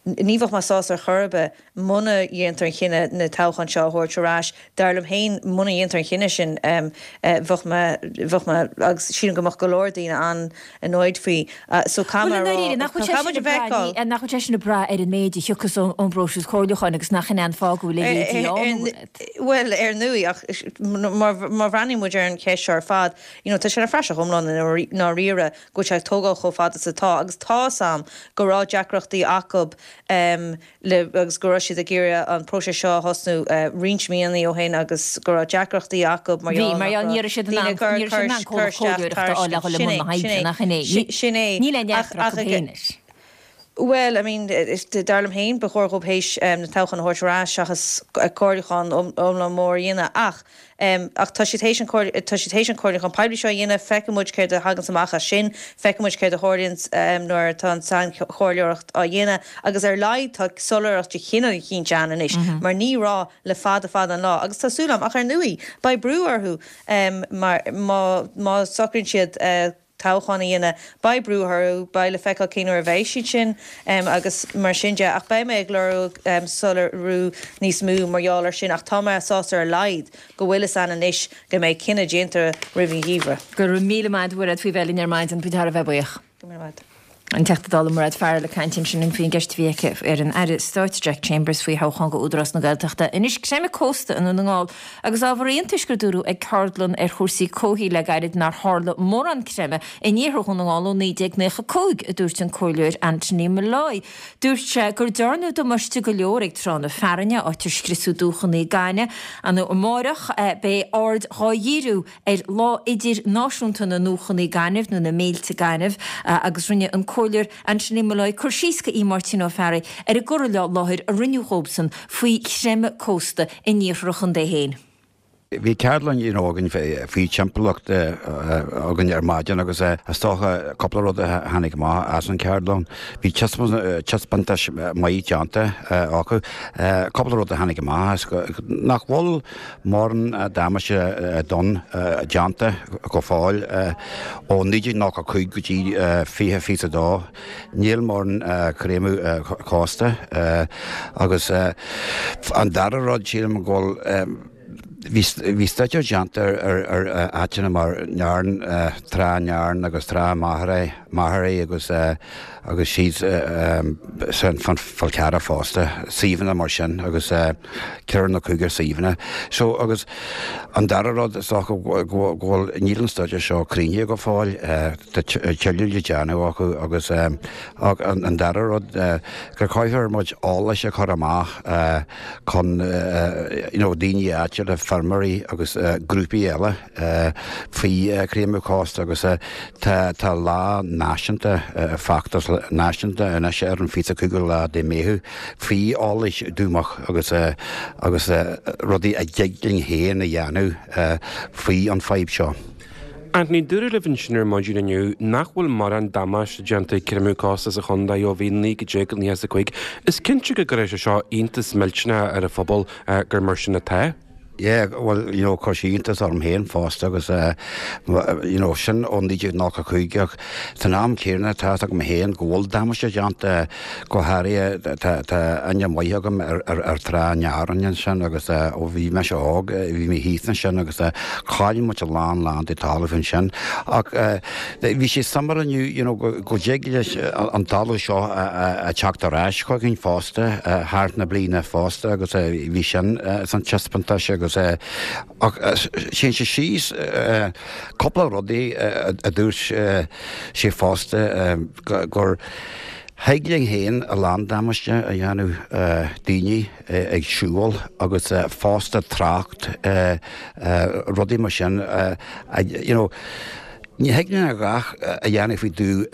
ní bheadh mé sásta ar chor ar bith muna dhéantar an chinneadh na toghcháin seo a thabhairt ar ais. Dar liom féin, muna dhéantar an chinneadh sin, bheadh mé, bheadh mé, agus sílim go mbeadh go leor daoine an-annoyed faoi. So caithfidh mé a
rá, caithfidh muid a fheiceáil. Nach bhfuil sé sin ag brath ar an méid a thiocfas ón bpróiseas comhairliúcháin agus nach in é an fáth go bhfuil a leithéidí ann?
Bhuel, ar ndóigh, ach má bhreathnaíonn muid ar an cheist seo ar fad, you know, tá sé ina phraiseach iomlán i ndáiríre go bhfuil sé ag tógáil chomh fada is atá agus tá's a'm go raibh deacrachtaí acu le agus go raibh siad ag iarraidh an próiseas seo a thosnú roinnt míonna ó shin agus go raibh deacrachtaí acu
mar gheall nach raibh daoine ag cur cur isteach tairiscint.
Sin é.
Níl aon neart acu féin leis.
Bhuel, I mean, dar liom féin, ba chóir dhóibh théis na toghcháin a thabhairt ar ais seachas comhairliúchán iomlán mór a dhéanamh. Ach, ach tá siad théis an tá siad théis an comhairliúchán poiblí seo a dhéanamh, feicfidh muid céard a thaganns amach as sin, feicfidh muid céard a tharlaíonns nuair atá an sainchomhairleoireacht á dhéanamh agus ar a laghad tá soiléireacht de chineál eicínt ann anois mar ní raibh le fada fada an lá agus tá súil agam, ach ar ndóigh, beidh brú orthu mar má má socraíonn siad toghchán a dhéanamh. Beidh brú orthu, beidh le feiceáil cén uair a bheidh siad sin agus mar sin de. Ach beidh mé ag lorg soiléiriú níos mó mar gheall air sin ach tá mé sásta ar a laghad go bhfuil fhios a'inn anois go mbeidh cinneadh déanta roimh an gheimhreadh.
Go raibh míle maith a't a Mhairéad faoi bheith linn ar maidin, bhí thar a bheith buíoch.
Go raibh míle maith.
An Teachta Dála Mairéad Farrell ag caint ansin faoin gceist a bhí aici ar an Aire Stáit Jack Chambers faoi thoghchán go Údarás na Gaeltachta. Anois, creimeadh cósta i nDún na nGall agus ábhar iontais gur dúradh ag ceardlann ar chúrsaí comhshaoil le gairid nár tharla mórán creimeadh in iarthar Dhún na nGall ó naoi déag nócha a cúig, a dúirt an Comhairleoir Anthony Molloy. Dúirt sé gur dearnadh damáiste go leor ag Trá na Fearthainne, áit ar scriosadh dumhchanna gainimh. Amáireach beidh aird dhá dhíriú ar Lá Idirnáisiúnta na nDumhchanna Gainimh, nó na Mílte Gainimh, agus rinne an Comhairleoir Anthony Molloy cur síos go Máirtín Ó Fearraigh ar an gcur i láthair a rinneadh dhóibhsan faoi chreimeadh cósta in iarthar a chontae féin.
Bhí ceardlann you know againn faoi timpeallacht againn ar maidin agus is dócha cúpla rud a tháinig amach as an cheardlann. Bhí taispeántas maith déanta acu. Cúpla rud a tháinig amach as nach bhfuil mórán damáiste donn déanta go fóill ó naoi déag nócha cúig go dtí fiche fiche a dó. Níl mórán creimeadh cósta agus an dara rud sílim go bhfuil bhí staidéar déanta ar áiteanna mar Nairn, Trá Nairn agus Trá Mhachaire agus agus síos san Fál Carrach fosta, suíomhanna mar sin agus ceithre nó cúigear suíomhanna. So agus an dara rud is dócha go bhfuil, níl an staidéar seo críochnaithe go fóill, tá tuilleadh le déanamh acu agus an dara rud gur caithfear muid eolais a chur amach chun you know daoine áitiúla, feirmeoirí agus grúpaí eile faoi chreimeadh cósta agus tá tá lá náisiúnta, feachtas náisiúnta anois ar an fiche cúigiú lá de Meitheamh faoi eolais dumhach agus agus rudaí a dtig linn féin a dhéanamh faoi an fadhb seo.
Anthony, dúradh libh ansin ar maidin inniu nach bhfuil mórán damáiste déanta ag creimeadh cósta sa chontae ó bhí naoi déag nócha a cúig. Is cinnte go gcuirfidh sé seo iontas millteanach ar an phobal gur mar sin atá.
Yeah, bhuel, you know, chuir sé iontas orm féin fosta agus, you know, sin ó naoi déag nócha cúig ach san am céanna tá fhios agam féin go bhfuil damáiste déanta, go háirithe tá tá aithne maith agam ar ar ar Trá Nairn ansin agus ó bhí mise óg bhí mé thíos ansin agus chaill muid a lán lán de talamh ansin ach bhí sé suimiúil inniu you know go go dtig leis an talamh seo a teacht ar ais chugainn fosta thar na bliana fosta agus bhí sin san taispeántas agus ach téann sé síos cúpla rudaí a dúirt sé fosta gur thig linn féin a lán damáiste a dhéanamh daoine ag siúl agus fosta trácht rudaí mar sin you know ní thig linn a dhath a dhéanamh faoi dtaobh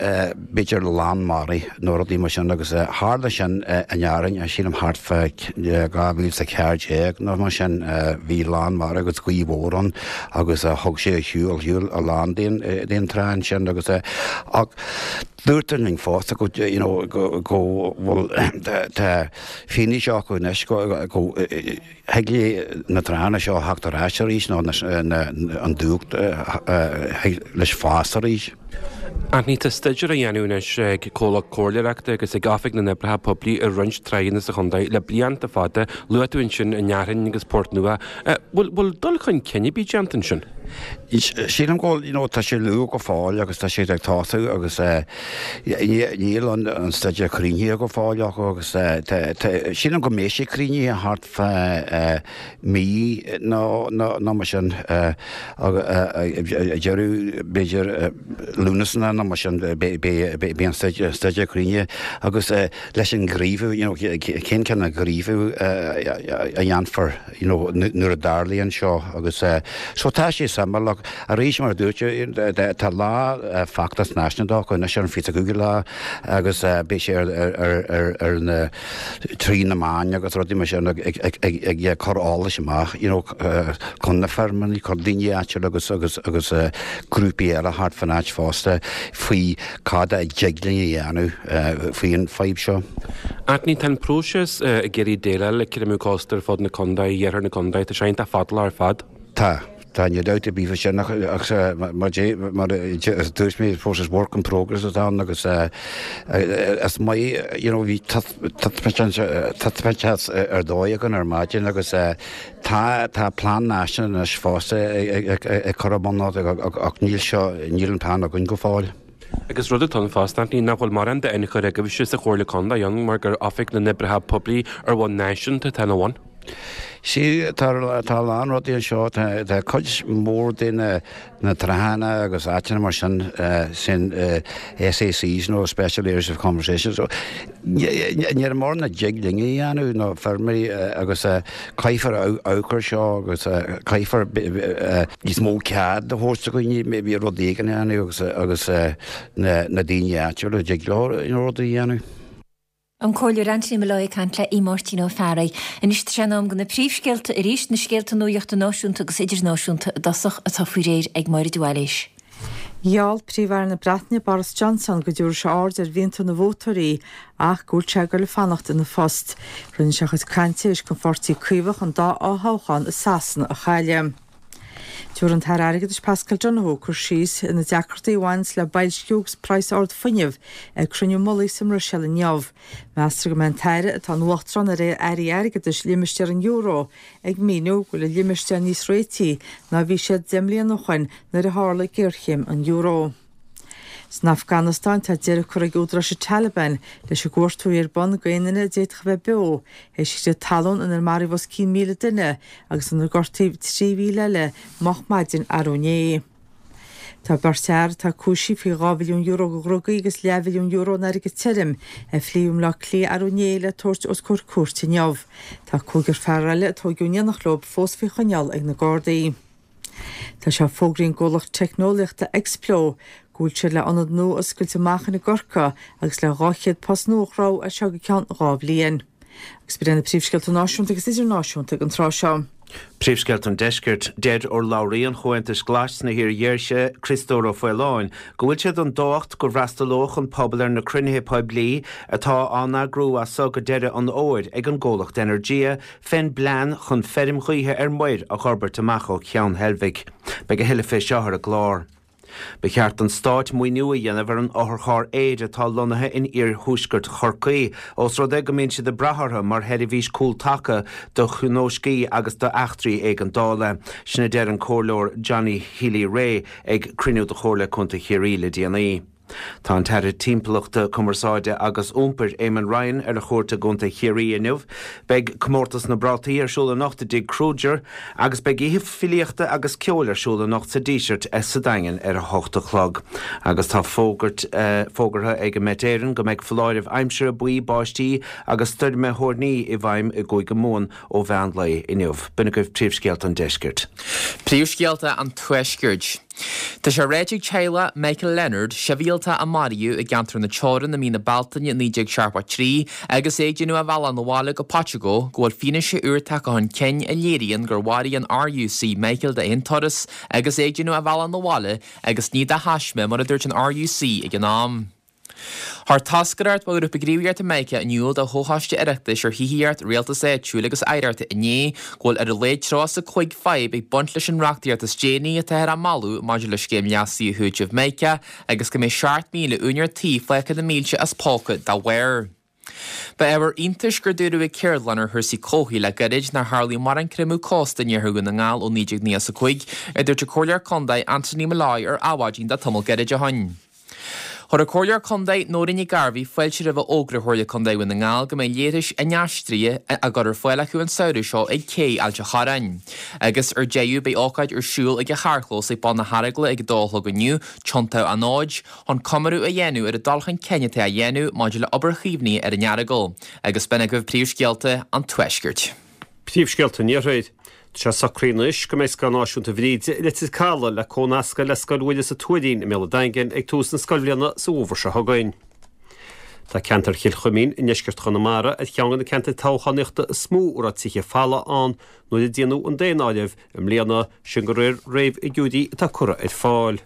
b'fhéidir lán mara nó rudaí mar sin agus tharla sin in Árainn sílim thart fá dhá mhíle is a ceathair déag nó mar sin bhí lán mara agus gaoth mhór ann agus thug sé ar shiúl shiúl a lán den den trá ansin agus ach dúirtear linn fosta go you know go go bhfuil tá fianaise acu anois go go thig le na tránna seo theacht ar ais arís nó an dumhach thig leis fás arís.
Anthony, tá staidéar á dhéanamh anois ag comhlacht comhairleoireachta agus ag Oifig na nOibreacha Poiblí ar roinnt tránna sa chontae le blianta fada, luaigh tú ansin an Fhearthainn agus Port Nua. Bhfuil bhfuil dul chun cinn ar bith déanta ansin?
Sílim go bhfuil, you know, tá sé luath go fóill agus tá siad ag tosú agus níl an an staidéar críochnaithe go fóill acu agus sílim go mbeidh sé críochnaithe thart fá mí nó nó mar sin ag deireadh b'fhéidir Lúnasa nó mar sin beidh an staidéar críochnaithe agus leis an ghníomhú you know cén cineál gníomhú a dhéanfar you know nuair a dtarlaíonn seo agus so tá sé suimiúil ach arís mar a dúirt tá lá feachtas náisiúnta acu anois ar an fiche cúigiú lá agus beidh sé ar ar ar na trí na meáin agus rudaí mar sin ag ag ag cur eolais amach you know chun na feirmeoirí, chun daoine áitiúla agus agus agus grúpaí eile thart fan áit fosta faoi cad a dtig linn a dhéanamh faoi an fadhb seo.
Anthony, tá an próiseas ag iarraidh déileáil le creimeadh cósta ar fud na contae, iarthar na contae, tá sé iontach fadálach ar fad.
Tá. Tá, níl dabht ar bith faoi sin ach mar a dúirt mé, process work in progress atá ann agus is maith, you know, bhí taispeántas ar dóigh againn ar maidin agus tá tá plean náisiúnta anois fosta ag cur i bun ach níl seo, níl an plean againn go fóill.
Agus rud atá ann fosta, Anthony, nach bhfuil mórán d'ionchur agaibhse sa Chomhairle Contae ann mar gur Oifig na nOibreacha Poiblí ar bhonn náisiúnta atá ina bhun.
Sea, tá a lán rudaí anseo. Tá cuid mhór de na na tránna agus áiteanna mar sin, sin SACs nó Special Areas of Conservation. So níl mórán a dtig linn a dhéanamh nó feirmeoirí agus caithfear amharc air seo agus caithfear níos mó cead a thabhairt do dhaoine maybe rud éigin a dhéanamh agus agus na daoine áitiúla a dtig leo rudaí a dhéanamh.
An Comhairleoir Anthony Molloy ag caint le Aodh Máirtín Ó Fearraigh. Anois tá sé in am do na príomhscéalta arís, na scéalta nuachta náisiúnta agus idirnáisiúnta i dtosach atá faoi réir ag Máire de Bhailís.
Gheall Príomh-Aire na Breataine Boris Johnson go dtabharfaidh sé aird ar mhianta na vótóirí ach go bhfuil sé ag dul a fanacht ina phost. Rinne sé a chuid cainte tar éis don Pháirtí Caomhach an dá fhothoghchán i Sasana a chailleadh. Tabharfaidh an tAire Airgeadais Paschal Donohoe cur síos ar na deacrachtaí a bhaineanns le boilsciú agus praghas ard fuinnimh ag cruinniú mullaigh sa mBruiséil inniu. Meastar go mbeidh an tAire, atá ina Uachtarán ar Airí Airgeadais limistéar an euro, ag míniú go bhfuil an limistéar níos réití ná a bhí sé deich mbliana ó shoin nuair a tharla géarchéim an euro. San Afganastáin, tá deireadh curtha ag údaráis an Taliban leis an gcuartú a bhí ar bun d'aon duine a d'fhéadfadh a bheith beo théis crith talún inar maraíodh os cionn míle duine agus inar gortaíodh trí mhíle eile moch maidin arú inné. Tá beirt fhear atá cúisithe faoi dhá mhilliún euro de dhrugaí agus leathmhilliún euro in airgead tirim ar shlí i mBleá Cliath arú inné le tabhairt os comhair cúirte inniu. Tá cúigear fear eile a tóigeadh in éineacht leo fós faoi choinneáil ag na Gardaí. Tá sé fógraithe ag an gcomhlacht teicneolaíochta Explo go bhfuil siad le ionad nua a oscailt i Machain i gCorcaigh agus le dhá chéad post nua a chruthú as seo go ceann dhá bhliain. Agus b'in iad na príomhscéalta náisiúnta agus idirnáisiúnta ag an tráth seo.
Príomhscéalta an Deiscirt, Deir urlabhraí an Chomhaontais Ghlais sna hIar-Dhéise, Criostóir Ó Faoláin, go bhfuil sé den dóicheacht go bhfreastalódh an pobal ar na cruinnithe poiblí atá á n-eagrú as so go deireadh an fhómhair ag an gcomhlacht Energia fén bplean chun feirm ghaoithe ar muir a dh'fhorbairt amach ó Cheann Heilbhic. Beidh a thuilleadh fé seo ar an gclár. Ba cheart don Stát maoiniú a dhéanamh ar an otharcharr aeir atá lonnaithe in iarthuaisceart Chorcaí, ós rud é go mbíonn siad ag brath orthu mar sheirbhís cúltaca do thionóiscí agus d'eachtraí éigeandála. Sin a deir an Comhairleoir Johnny Healy-Rae ag cruinniú de Chomhairle Contae Chiarraí le déanaí. Tá an tAire Timpeallachta, Cumarsáide agus Iompair, Eamon Ryan, ar a chuairt i gContae Chiarraí inniu. Beidh Comórtas na bPrátaí ar siúl anocht i dTigh Kruger agus beidh oíche filíochta agus ceoil ar siúl anocht sa Díseart sa Daingean ar a hocht a chlog. Agus tá fógairt fógartha ag an Met Éireann go mbeidh foláireamh aimsire buí báistí agus stoirme thoirní i bhfeidhm i gCúige Mumhan ó mheán lae inniu. B'in agaibh príomhscéalta an deiscirt.
Príomhscéalta an Tuaiscirt. Tá sé ráite ag teaghlach Michael Leonard, sibhialtach a maraíodh i gceantar na Teorann i mí na Bealtaine naoi déag seachtó a trí agus é ag déanamh a bhealach 'na bhaile go Paiteagó, go bhfuil fianaise úr tagtha chun cinn a léiríonn gur mharaigh an RUC Michael d'aon turas agus é ag déanamh a bhealach 'na bhaile agus ní de thaisme mar a dúirt an RUC ag an am. Chuir toscaireacht ó Ghrúpa Gníomhaíochta Mica in iúl do Chomhchoiste Oireachtais ar Thithíocht, Rialtas Áitiúil agus Oidhreacht inné go bhfuil ar a laghad tríocha is a cúig fadhb ag baint leis an reachtaíocht is déanaí atáthar á moladh maidir le Scéim Leasaithe Chúitimh Mica agus go mbeidh seacht míle úinéir tí fágtha na mílte as póca dá bharr. Ba ábhar iontais gur dúradh ag ceardlann ar chúrsaí comhshaoil le gairid nár tharlaigh mórán creimeadh cósta in iarthar Dhún na nGall ó naoi déag nócha a cúig, a dúirt an Comhairleoir Contae Anthony Molloy ar Adhmhaidin le tamall gairid ó shin. Chuir an Comhairleoir Contae Nóirín Nic Gairbheith fáilte roimh fhógra Chomhairle Contae Dhún na nGall go mbeidh leithris inaistrithe á gcur ar fáil acu an samhradh seo ag Cé Ailt a' Chorráin. Agus ar deireadh beidh ócáid ar siúl ag an charrchlós ag bun na hEaragla ag a dó a chlog inniu, tiontú anóid, chun comóradh a dhéanamh ar an dul chun cinn atá á dhéanamh maidir le obair chaomhnaithe ar an Earagail. Agus b'in agaibh príomhscéalta an Tuaiscirt.
Príomhscéalta an Iarthair. Tá sé socraithe anois go mbeidh Scoil Náisiúnta Bhríde i Leitir Caladh le comhnascadh le Scoil Mhuire sa Tuairín i mBéal an Daingin ag tús na scoilbhliana sa bhfómhar seo chugainn. Tá ceantar Chill Chuimín i ndeisceart Chonamara ar cheann de na ceantair toghchánaíochta is mó a raibh tithe folamh ann nuair a déanadh an daonáireamh i mbliana, sin de réir réamhfhigiúirí atá curtha ar fáil.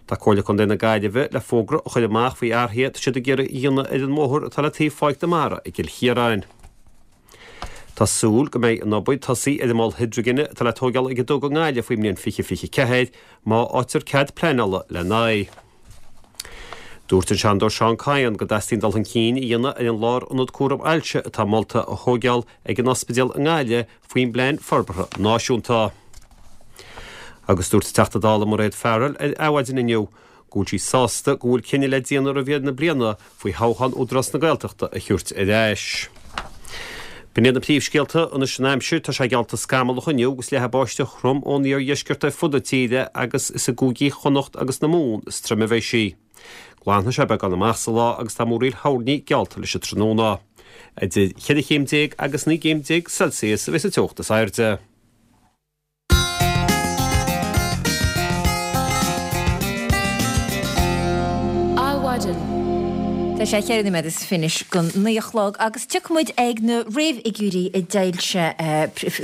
Tá Comhairle Contae na Gaillimhe le fógra a chur amach faoi athruithe atá siad ag iarraidh a dhéanamh ar an mbóthar atá le taobh Pháirc na Mara i gCill Chiaráin. Tá súil go mbeidh an obair tosaithe ar an mol hidrigine atá le tóigeáil ag an Duga i nGaillimh faoin mbliain fiche fiche ceathair, má fhaightear cead pleanála lena aghaidh. Dúirt an Seanadóir Seán Kyne go dteastaíonn dul chun cinn a dhéanamh ar an lárionad cúram ailse atá molta a thóigeáil ag an ospidéal i nGaillimh faoin bPlean Forbartha Náisiúnta. Agus dúirt an Teachta Dála Mairéad Farrell ar Adhmhaidin inniu go bhfuil sí sásta go bhfuil cinneadh le déanamh roimh dheireadh na bliana faoi thoghchán Údarás na Gaeltachta a thabhairt ar ais. B'in iad na príomhscéalta anois an aimsir. Tá sé geallta scamallach inniu agus leathfaidh báisteach throm ón iardheisceart ar fud na tíre agus is i gcúigí Chonnacht agus na Mumhan is troime a bheidh sí. Glanfaidh sé beagán amach sa lá agus tá múraíl thoirní geallta leis an tráthnóna. Idir cheithre chéim déag agus naoi gcéim déag Celsius a bheidh sa teocht is airde.
Adhmhaidin. Tá sé cheithre nóiméad is fiche go naoi a chlog agus tiocfaidh muid ag na réamhfhigiúirí a d'fhoilsigh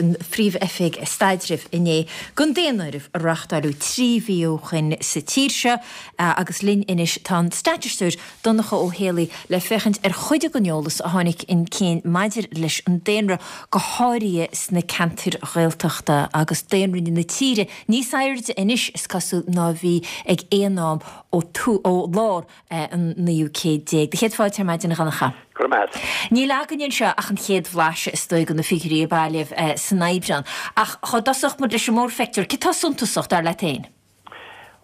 an Phríomh-Oifig Staidrimh inné don daonáireamh a reáchtáladh trí mhí ó shoin sa tír seo agus linn anois tá an staitisteoir Donncha Ó Héalaí le féachaint ar chuid den eolas a tháinig chun cinn maidir leis an daonra go háirithe sna ceantair Ghaeltachta agus daonra na tíre níos airde anois is cosúil ná a bhí ag aon am ó ó lár an naoú céad déag. Do chéad fáilte ar maidin a Dhonncha.
Go raibh maith agat.
Níl againn anseo ach an chéad bhlaiseadh is dóigh de na figiúirí a bailíodh san Aibreán. Ach dhá dtosódh muid leis an mórphictiúr, céard atá suntasach, dar leat féin?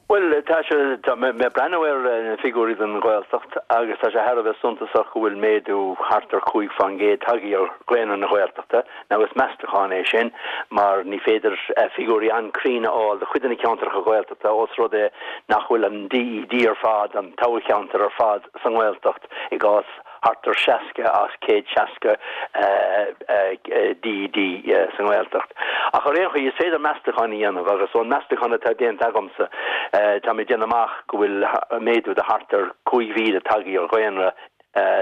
Bhuel, tá sé, tá mé ag breathnú ar na figiúirí don Ghaeltacht agus tá sé thar a bheith suntasach go bhfuil méadú thart ar cúig fán gcéad tagtha ar dhaonra na Gaeltachta. Now is meastachán é sin mar ní féidir figiúirí an-cruinn a fháil do chuid de na ceantracha Gaeltachta ós rud é nach bhfuil an DED ar fad, an toghcheantar ar fad sa nGaeltacht i gcás thart ar seasca as céad seasca DED sa nGaeltacht. Ach ar aon chaoi, is féidir meastachán a dhéanamh agus ón meastachán atá déanta agamsa, tá mé ag déanamh amach go bhfuil méadú de thart ar cúig mhíle tagtha ar dhaonra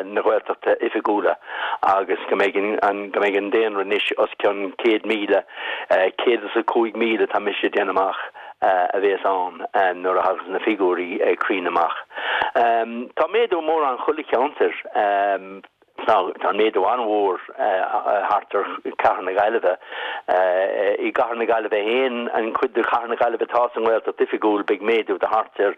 na Gaeltachta oifigiúla agus go mbeidh an go mbeidh an daonra anois os cionn céad míle, céad is a cúig míle tá mise ag déanamh amach a bhéas ann nuair a thagas na figiúirí cruinn amach. Tá méadú mórán chuile cheantar. Tá méadú an-mhór thart ar chathair na Gaillimhe. I gcathair na Gaillimhe féin, an chuid de chathair na Gaillimhe atá sa nGaeltacht oifigiúil, beidh méadú de thart ar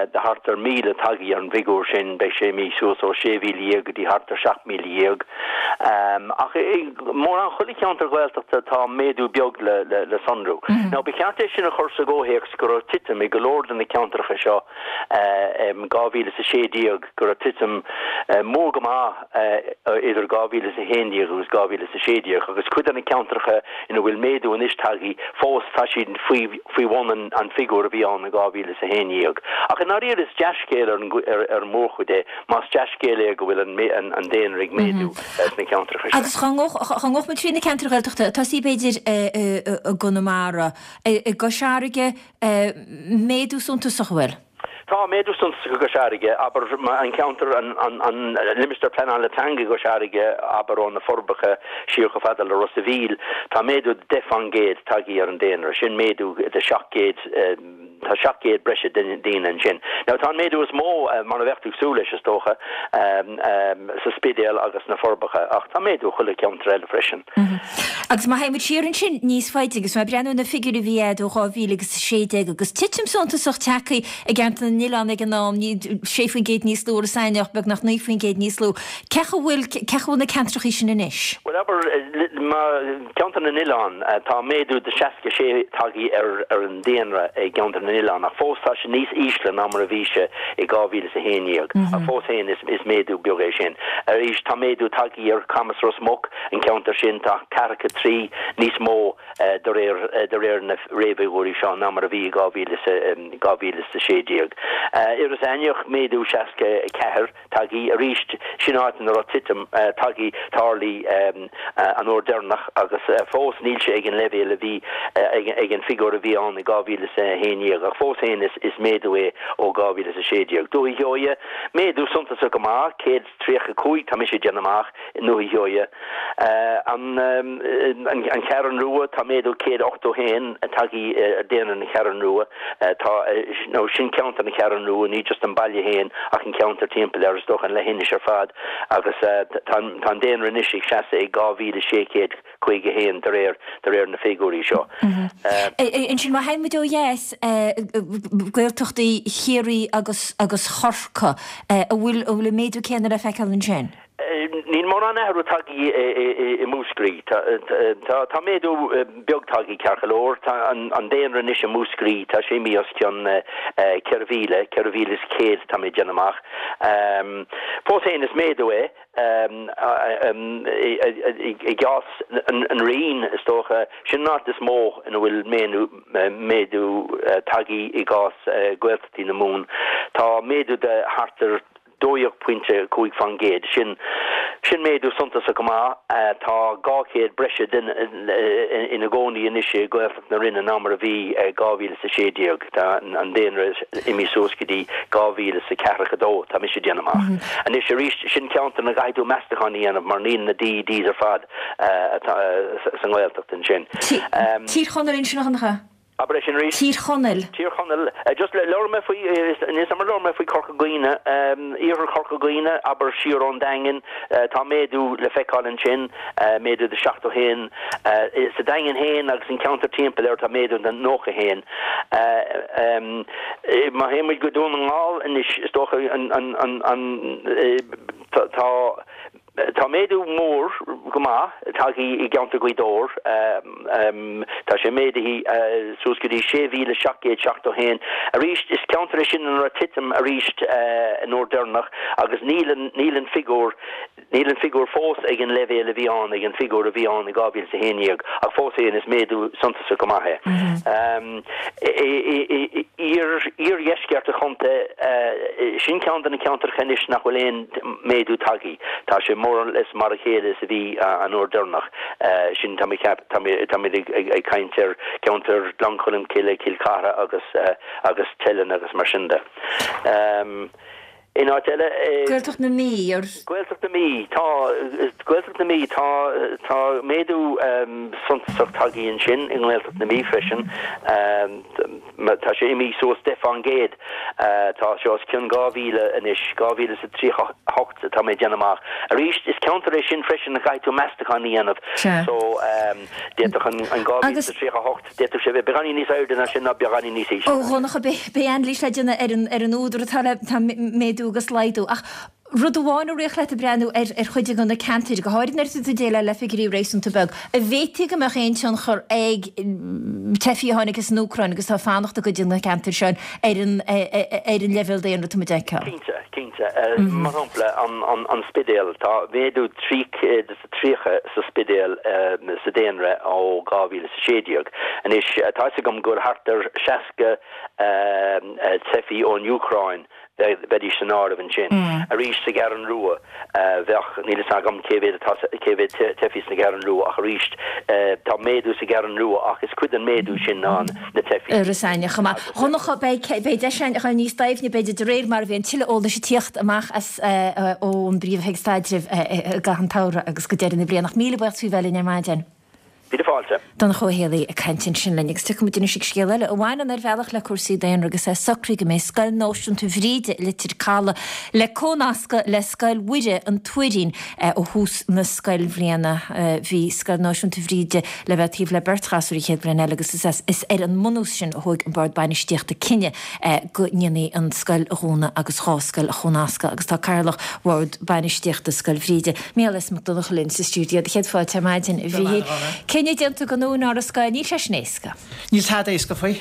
de thart ar míle tagtha ar an bhfigiúr sin, beidh sé imithe suas ó sé mhíle dhéag go dtí thart ar seacht míle dhéag. Ach i mórán chuile cheantar Gaeltachta tá méadú beag le sonrú. Now ba cheart é sin a chur sa gcomhthéacs go raibh titim i go leor de na ceantracha seo i dhá mhíle is a sé déag, go raibh titim mór go maith idir dhá mhíle is a haon déag agus dhá mhíle is a sé déag agus cuid de na ceantracha ina bhfuil méadú anois tagtha fós tá siad faoi faoi bhun an an figiúr a bhí ann i dhá mhíle is a haon déag. Ach i ndáiríre is dea-scéal ar an ar an mórchuid é más dea-scéal é go bhfuil an an daonra ag méadú sna ceantracha seo.
Agus dhá ngabhfadh muid trí na ceantair Ghaeltachta, tosaí b'fhéidir i gConamara, i gCois Fharraige, méadú suntasach an bhfuil?
Tá méadú suntasach i gCois Fharraige, abair, an ceantar, an limistéar pleanála teanga i gCois Fharraige, abair, ó na Forbacha siar chomh fada le Ros a' Mhíl, tá méadú de deich fán gcéad tagtha ar an daonra, sin méadú de seacht gcéad Tá seacht gcéad breise daoine ansin. Now tá an méadú is mó, mar a bheadh tú ag súil leis is dócha, sa Spidéal agus sna Forbacha, ach tá méadú chuile cheantar eile freisin.
Agus má théimid siar ansin níos faide agus má breathnú na figiúirí a bhí agat ó dhá mhíle agus a sé déag agus titim suntasach tagtha i gceantar na nOileán ag an am, sé faoin gcéad níos lú, Iorras Aithneach beagnach naoi faoin gcéad níos lú. Cé chaoi bhfuil, cé chaoi bhfuil na ceantrachaí sin anois?
Bhuel abair, ceantar na nOileán, tá méadú de seasca sé tagtha ar ar an daonra i gceantar na nOileán ach fós tá sé níos ísle ná mar a bhí sé i dhá mhíle is a haon déag. Ach fós féin is is méadú beag é sin. Arís tá méadú tagtha ar Camas Ros Muc, an ceantar sin, tá ceathracha trí níos mó de réir de réir na réamhfhigiúirí seo ná mar a bhí i dhá mhíle is a dhá mhíle is a sé déag. Iorras Aithneach, méadú seasca a ceathair. Tagtha arís, sin áit ina raibh titim tagtha, tarlaithe an uair deireanach agus fós níl sé ag an leibhéal a bhí ag an figiúr a bhí ann i dhá mhíle is a haon déag ach fós féin is méadú é ó dhá mhíle is a sé déag. Dúiche Sheoighe, méadú suntasach go maith, céad is tríocha cúig tá mise ag déanamh amach i nDúiche Sheoighe. An Cheathrú Rua, tá méadú céad ochtó haon tagtha ar daonra na Ceathrún Rua. Tá, nó sin ceantar na Ceathrún Rua, ní just an baile féin ach an ceantar timpeall air, is dócha an leithinis ar fad, agus tá an daonra anois ag seasamh ag dhá mhíle sé chéad caoga a haon de réir de réir na figiúirí seo.
Ansin má théann muid ó dheas, Gaeltachtaí Chiarraí agus agus Chorcaí, an bhfuil an bhfuil an méadú céanna le feiceáil ansin?
Níl mórán athrú tagtha i Múscraí. Tá méadú beag tagtha ceart go leor. Tá an daonra anois i Múscraí, tá sé imithe os cionn ceithre mhíle, ceithre mhíle is céad tá mé ag déanamh amach. Fós féin is méadú é. I gcás an Rinn, is dócha, sin an áit is mó ina bhfuil méadú tagtha i gcás Gaeltachtaí na Mumhan. Tá méadú de thart ar dó dhéag pointe cúig faoin gcéad. Sin sin méadú suntasach go maith. Tá dhá chéad breise duine ina gcónaí anois i Gaeltacht na Rinne ná mar a bhí i dhá mhíle is a sé déag. Tá an daonra imithe suas go dtí dhá mhíle is a ceathracha dó, tá mise ag déanamh amach. Anois arís, sin ceantar ina gcaithfidh tú meastachán a dhéanamh mar níl na DEDs ar fad sa nGaeltacht ansin.
Tír Chonaill ansin a Dhonncha?
Abair é sin arís.
Tír Chonaill.
Tír Chonaill. Just labhair mé faoi, níl 's a'm ar labhair mé faoi Corca Dhuibhne, iarthar Chorca Dhuibhne, abair siar ón Daingean, tá méadú le feiceáil ansin, méadú de seachtó haon. Sa Daingean féin agus an ceantar timpeall air tá méadú de nócha haon. Má théann muid go Dún na nGall anois, is dócha an, an, an, an, tá, Tá méadú mór go maith tagtha i gceantar Ghaoth Dobhair. Tá sé méadaithe suas go dtí sé mhíle seacht gcéad seachtó haon. Arís, is ceantar é sin ina raibh titim arís an uair deireanach agus níl an níl an figiúr níl an figiúr fós ag an leibhéal a bhí ann ag an figiúr a bhí ann i dhá mhíle is a haon déag ach fós féin is méadú suntasach go maith é. Iardheisceart an chontae, sin ceann de na ceantracha anois nach bhfuil aon méadú tagtha. Tá sé more or less mar a chéile is a bhí an uair deireanach. Sin, tá mé ceap, tá mé, táimid ag, ag, ag caint ar cheantar Ghleann Cholm Cille, Cill Chartha agus, agus Teileann agus mar sin de. In áit eile,
Gaeltacht na Mí, ar.
Gaeltacht na Mí, tá, Gaeltacht na Mí, tá, tá méadú suntasach tagtha ansin i nGaeltacht na Mí freisin. Tá sé imithe suas deich fán gcéad. Tá sé os cionn dhá mhíle anois, dhá mhíle is a tríocha a hocht atá mé ag déanamh amach. Arís, is ceantar é sin freisin a gcaithfidh tú meastachán a dhéanamh. So, d'fhéadfadh an dhá mhíle is a tríocha a hocht, d'fhéadfadh sé bheith beagáinín níos airde ná sin ná beagáinín níos ísle.
Ó Dhonncha, beidh anailís le déanamh ar an údar atá le méadú agus laghdú. Ach Rud amháin a rithfeadh leat ag breathnú ar ar chuid de na ceantair, go háirid nuair atá tú ag déileáil le figiúirí réasúnta beag, an bhféadfaí go mbeadh aon tionchar ag teifigh a tháinig as an Úcráin agus atá ag fanacht i gcuid de na ceantair seo ar an ar an leibhéal daonra atá muid a fheiceáil?
Cinnte, cinnte. Mar shampla, an Spidéal, tá méadú trí chéad is a tríocha sa Spidéal sa daonra ó dhá mhíle is a sé déag. Anois, tá 'fhios agam go bhfuil thart ar seasca teifí ón Úcráin bheidís san áireamh ansin. Arís sa gCeathrú Rua, bheadh, níl fhios agam cé mhéad atá, cé mhéad teifí sa gCeathrú Rua ach arís, tá méadú sa gCeathrú Rua ach is cuid den méadú sin ná na teifí.
Iorras Aithneach chomh maith. Dhonncha, beidh, beidh deis againn a dhul níos doimhne b'fhéidir de réir mar a bhíonn tuilleadh eolais ag tíocht amach as ón bPríomh-Oifig Staidrimh i gcaitheamh an tsamhraidh agus go deireadh na bliana. Ach míle buíochas faoi bheith linn ar maidin.
Míle fáilte.
Donncha Ó Héalaí ag caint ansin linn agus tiocfaidh muid anois ag scéal eile a bhaineann ar bhealach le cúrsaí daonra agus é socraithe go mbeidh Scoil Náisiúnta Bhríde i Leitir Calaidh le comhnascadh le Scoil Mhuire an Tuairín ó thús na scoilbhliana. Bhí Scoil Náisiúnta Bhríde le bheith taobh le beirt ghasúr an chéad bhliain eile agus is ar an mbunús sin a thóg an Bord Bainistíochta cinneadh go ndéanfaí an scoil a dhúnadh agus dhá scoil a chomhnascadh agus tá Cathaoirleach Bhord Bainistíochta Scoil Bhríde, Mícheál S. Mac Donncha linn sa stiúideo. Céad fáilte ar maidin, a Mhíchíl. Cinneadh déanta don úinéir scoile, níl sé sin éasca.
Níl tada éasca faoi.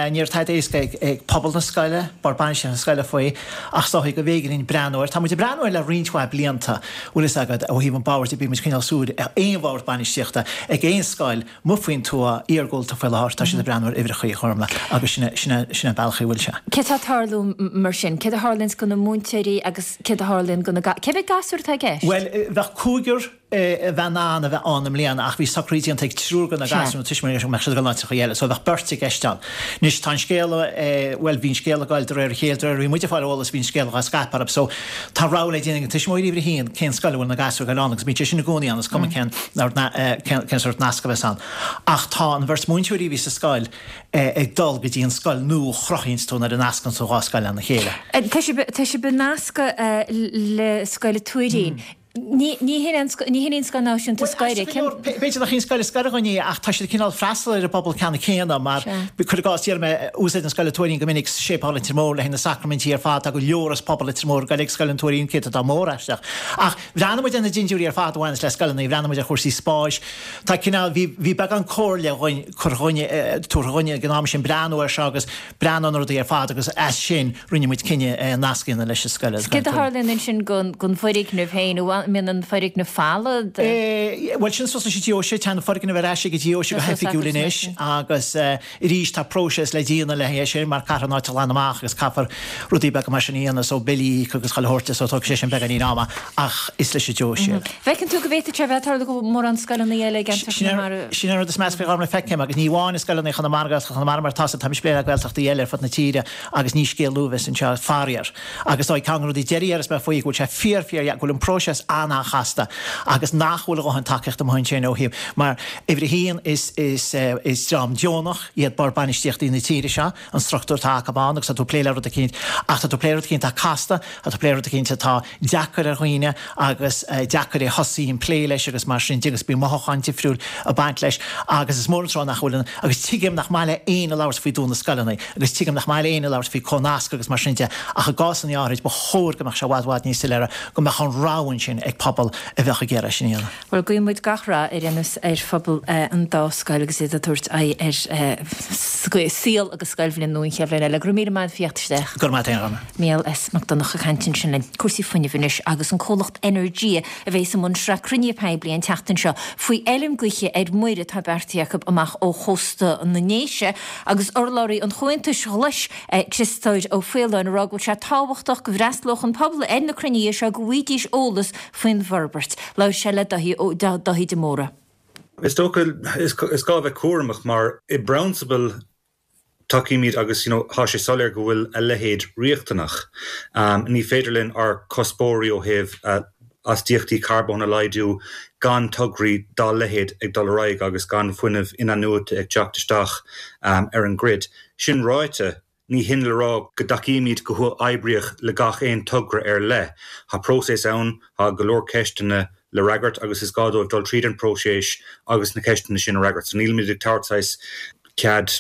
Ní raibh tada éasca ag pobal na scoile, bord bainistíochta na scoile faoi, ach is dóigh go mb'éigean linn breathnú air. Tá muid ag breathnú air le roinnt mhaith blianta, bhfuil fhios agat, ó thaobh an bhoird de, bíonn muid ag coinneáil súil ar aon bhord bainistíochta ag aon scoil amuigh faoin tuath, iargúlta faoi láthair, tá siad ag breathnú ar uimhreacha, a Ghormfhlaith, agus sin sin an bealach a bhfuil sé.
Céard atá ag tarlú mar sin? Céard a tharlaíonn do na múinteoirí agus céard a tharlaíonn do na Cé mhéad gasúr atá i gceist?
Bhuel, bheadh cúigear a bheith in ann a bheith ann i mbliana ach bhí socruithe déanta ag triúr de na gasúir, na tuismitheoirí, go mbeadh siad ag dul in áiteacha eile so bheadh beirt i gceist ann. Anois tá an scéal, bhuel bhí an scéal ag goil de réir a chéile, de réir a bhí muid ag fáil eolas bhí an scéal á scaipeadh orthu so tá rogha le déanamh ag na tuismitheoirí uimhir a haon cén scoil a bhfuil na gasúir ag goil ann agus bíonn sé sin i gcónaí ann is cuma cén cén sórt nasc a bheas ann. Ach tá an bheirt múinteoirí a bhí sa scoil ag dul go dtí an scoil nua a chruthaíonns tú nuair a nascann tú dhá scoil lena chéile.
Tá sibh ag nascadh le Scoil an Tuairín. Ní hin í an Scoil Náisiúnta is gaire.
B'fhéidir nach í an scoil is gaire dhúinn í ach tá siad cineál freastal ar an bpobal ceanna céanna mar, cuir i gcás, déarfaidh mé, úsáideann Scoil an Tuairín go minic Séipéal Leitir Móir le haghaidh na sacraimintí ar fad, tá go leor as pobal Leitir Móir ag goil ag Scoil an Tuairín, céatadán mór aisteach. Ach bhreathnaigh muid ar na dintiúirí ar fad a bhaineas le scoileanna, bhreathnaigh muid ar chúrsaí spáis, tá cineál, bhí, bhí beagán comhairle dhúinn, curtha dhúinn, tabhartha dhúinn ag an am sin breathnú air seo agus breathnú ar na rudaí ar fad agus as sin rinne muid cinneadh nasc a dhéanamh leis an scoil.
Céard a tharlaíonn ansin don bhfoirgneamh féin? An mbíonn an foirgneamh folamh?
Bhuel, sin suas leis an deoise. Tá an foirgneamh ar ais ag an deoise go hoifigiúil anois agus arís tá próiseas le déanamh le haghaidh é sin mar caithfear an áit a ghlanadh amach agus caithfear rudaí beaga mar sin a dhéanamh so billí a íoc agus chuile shórt de so tógfaidh sé sin beagáinín ama ach is leis an deoise é.
Bhfeiceann tú go bhféadfadh sé a bheith ag tarlú go mórán scoileanna eile i gceantar Chonamara?
Sin an rud is measa faoi Ghormfhlaith feicim agus ní amháin i scoileanna Chonamara, Gaeltacht Chonamara mar atá táimid ag plé le Gaeltachtaí eile ar fud na tíre agus ní scéal nua a bheas anseo, faraor. Agus tá ceann de na rudaí deiridh a déarfas mé faoi go bhfuil sé fíor fíor go bhfuil an próiseas an-an-chasta agus nach bhfuil a dhóthain tacaíochta amuigh ansin ó thaobh mar uimhir a haon is is is dream deonach iad bord bainistíochtaí na tíre seo, an struchtúr atá acu ann agus tá tú ag plé le rud eicínt ach tá tú ag plé le rud eicínt atá casta, tá tú ag plé le rud eicínt atá deacair ar dhaoine agus deacair é thosaí an plé leis agus mar sin de agus bíonn mothúcháin difriúil ag baint leis agus is mór an trua nach bhfuil an agus tuigim nach maith le éinne labhairt faoi dúnadh scoileanna agus tuigim nach maith le éinne labhairt faoi comhnasc agus mar sin de ach i gcásanna áirid ba chóir go mbeadh sé i bhfad bhfad níos soiléire go mbeadh an rogha ansin ag pobal a bheadh ag iarraidh sin a dhéanamh.
Bhuel, guíonn muid gach rath ar aon nós ar phobal an dá scoil agus iad ag tabhairt aghaidh ar saol agus scoilbhliain nua an chéad bhliain eile. Go raibh míle maith agat as theacht isteach.
Go raibh maith agat, a Ghormfhlaith.
Mícheál S. Mac Donncha ag caint ansin linn. Cúrsaí fuinnimh anois agus an comhlacht Energia a bheas i mbun sraith cruinnithe poiblí an tseachtain seo faoi fheilm gaoithe ar muir atá beartaithe acu amach ó chósta na nDéise agus urlabhraí an Chomhaontais Ghlais Criostóir Ó Faoláin ag rá go bhfuil sé tábhachtach go bhfreastalódh an pobal ar na cruinnithe seo go bhfaighidís eolas faoin bhforbairt. Labhair sé le Dáithí de Mórdha.
Is dócha is gá a bheith cúramach mar i bprionsabal tacaímid agus you know tá sé soiléir go bhfuil a leithéid riachtanach. Ní féidir linn ár cuspóirí ó thaobh astaíochtaí carbóin a laghdú gan tograí dá leithéid ag dul ar aghaidh agus gan fuinneamh in-athnuaite ag teacht isteach ar an grid. Sin ráite, ní hin le rá go dtacaímid go huathoibríoch le gach aon togra ar leith. Tá próiseas ann, tá go leor ceisteanna le fhreagairt agus is gá dóibh dul tríd an próiseas agus na ceisteanna sin a fhreagairt. So nílimid ag tabhairt saghas cead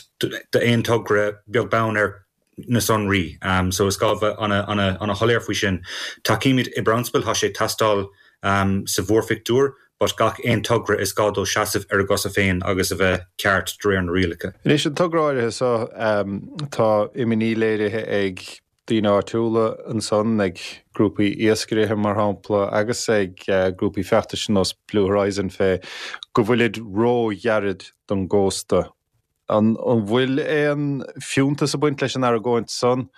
d'aon togra beag beann ar na sonraí. So is gá bheith ana-shoiléir faoi sin. Tacaímid i bprionsabal, tá sé ag teastáil sa mhórphictiúr, but gach aon togra is gá dó seasamh ar a gcosa féin agus a bheith ceart de réir na rialacha.
Anois an togra áirithe seo, tá imní léirithe ag daoine áitiúla ansan, ag grúpaí iascairithe mar shampla, agus ag grúpaí feachtais ar nós Blue Horizon fé go bhfuilid ró-ghairid don gcósta. An bhfuil aon fiúntas ag baint leis an argóint san?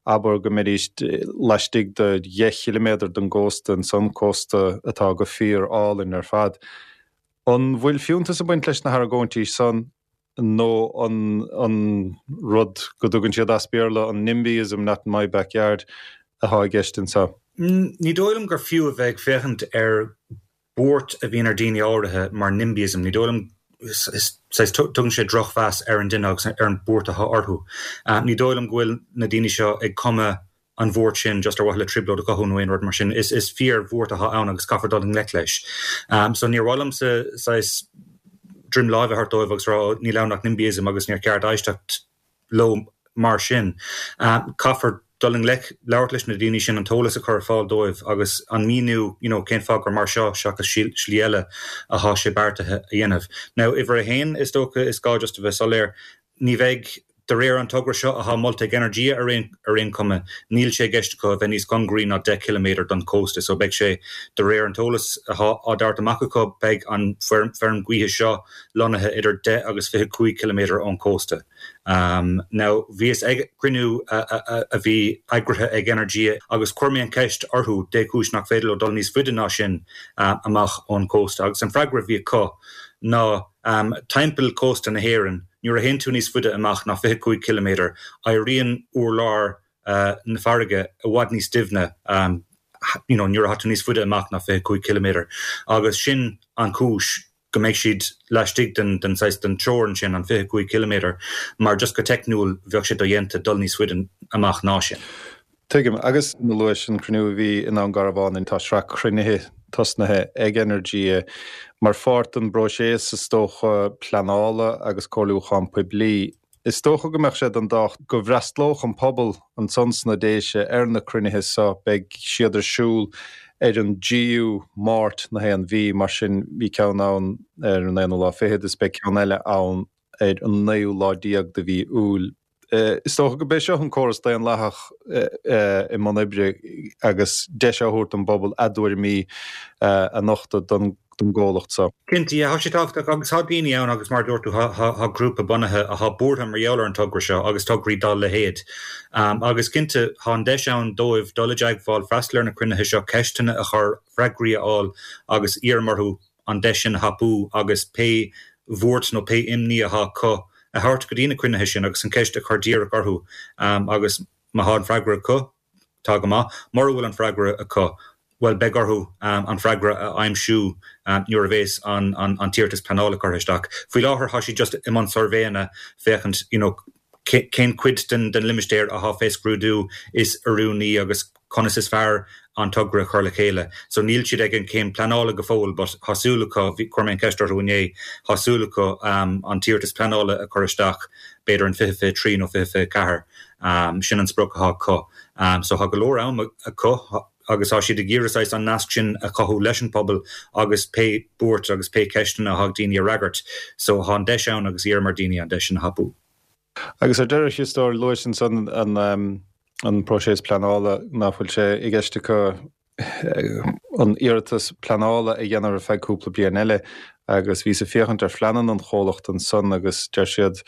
Abair go mbeidís laistigh de dheich chiliméadar den gcósta ansan, cósta atá go fíor álainn ar fad. An bhfuil fiúntas ag baint leis na hargóintí san nó an an rud go dtugann siad as Béarla an NIMBYism, not in my backyard, atá i gceist anseo?
Ní dóigh liom gur fiú a bheith ag féachaint ar buairt a bhíonn ar daoine áirithe mar NIMBYism. Ní dóigh liom saghas tugann sé drochmheas ar an duine agus ar an buairt atá orthu. Ní dóigh liom go bhfuil na daoine seo ag cumadh an bhuairt sin just ar mhaithe le trioblóid a chothú nó aon rud mar sin. Is is fíor-bhuairt atá ann agus caithfear dul i ngleic leis. So níor mhaith liomsa saghas droim láimhe a thabhairt dóibh agus rá níl ann ach NIMBYism agus níor cheart éisteacht leo mar sin. Caithfear dul i ngleic, labhairt leis na daoine sin, an t-eolas a chur ar fáil dóibh agus an míniú you know cén fáth gur mar seo seachas slí eile atá sé beartaithe a dhéanamh. Now uimhir a haon is dócha is gá just a bheith soiléir, ní bheidh, de réir an togra seo atá molta ag Energia ar aon ar aon chuma, níl sé i gceist acu a bheith níos cóngaraí ná deich ciliméadar don chósta so beidh sé, de réir an t-eolas atá á dtabhairt amach acu, beidh an feirm gaoithe seo lonnaithe idir deich agus fiche cúig ciliméadar ón chósta. Now bhíos ag cruinniú a bhí eagraithe ag Energia agus chuir mé an cheist orthu dé chúis nach féidir leo dul níos faide ná sin amach ón chósta agus an freagra a bhí acu ná timpeall cósta na hÉireann nuair a théann tú níos faide amach ná fiche cúig ciliméadar éiríonn urlár na farraige i bhfad níos doimhne you know nuair atá tú níos faide amach ná fiche cúig ciliméadar agus sin an chúis go mbeidh siad laistigh den den saghas den teorainn sin, an fiche cúig ciliméadar, mar just go teicniúil bheadh sé dodhéanta dul níos faide amach ná sin.
Tuigim. Agus luais an cruinniú a bhí i nDún Garbhán, tá sraith cruinnithe tosnaithe ag Energia mar pháirt den bpróiseas is dócha pleanála agus comhairliúchán poiblí. Is dócha go mbeadh sé den tábhacht go bhfreastlódh an pobal ansan sna Déise ar na cruinnithe so. Beidh siad ar siúl ar an dtríú Máirt na haon mhí, mar sin bhí ceann ann ar an aonú lá fichead is beidh ceann eile ann ar an naoú lá déag de mhí Iúil. Is dócha go b'é seo an córas daonlathach i mbun oibre agus deis á thabhairt don bpobal a dtuairimí a nochtadh don don gcomhlacht so.
Cinnte, yeah, tá sé tábhachtach agus tá daoine ann agus mar a dúirt tú tá grúpa bunaithe atá buartha mar gheall ar an togra seo agus tograí dá leithéid. Agus cinnte tá an deis ann dóibh dul i dteagmháil, freastal ar na cruinnithe seo, ceisteanna a chur, freagraí a fháil agus iarraim orthu an deis sin a thapú agus pé bhuairt nó pé imní atá acu a thabhairt go dtí na cruinnithe sin agus an ceist a chur díreach orthu agus má tá an freagra acu, tá go maith. Mura bhfuil an freagra acu, bhuel, beidh orthu an freagra a aimsiú nuair a bhéas an an t-iarratas pleanála curtha isteach. Faoi láthair tá siad just i mbun suirbhéanna féachaint you know cén cuid den den limistéar atá fé scrúdú is oiriúnaí agus conas is fearr an togra a chur le chéile. So níl siad ag an céim pleanála go fóill but tá súil acu, bhí, chuir mé an ceist orthu inné, tá súil acu an t-iarratas pleanála a chur isteach b'fhéidir in fiche fiche trí nó fiche fiche ceathair. Sin an sprioc atá acu. So tá go leor am acu agus tá siad ag iarraidh saghas an nasc sin a chothú leis an pobal agus pé buairt agus pé ceisteanna atá ag daoine a fhreagairt. So tá an deis ann agus iarraim ar daoine an deis sin a thapú.
Agus ar deireadh, a Chriostóir, luais ansan an an próiseas pleanála, nach bhfuil sé i gceist acu an iarratas pleanála a dhéanamh ar feadh cúpla bliain eile agus bhíos ag féachaint ar phleananna an chomhlacht ansan agus deir siad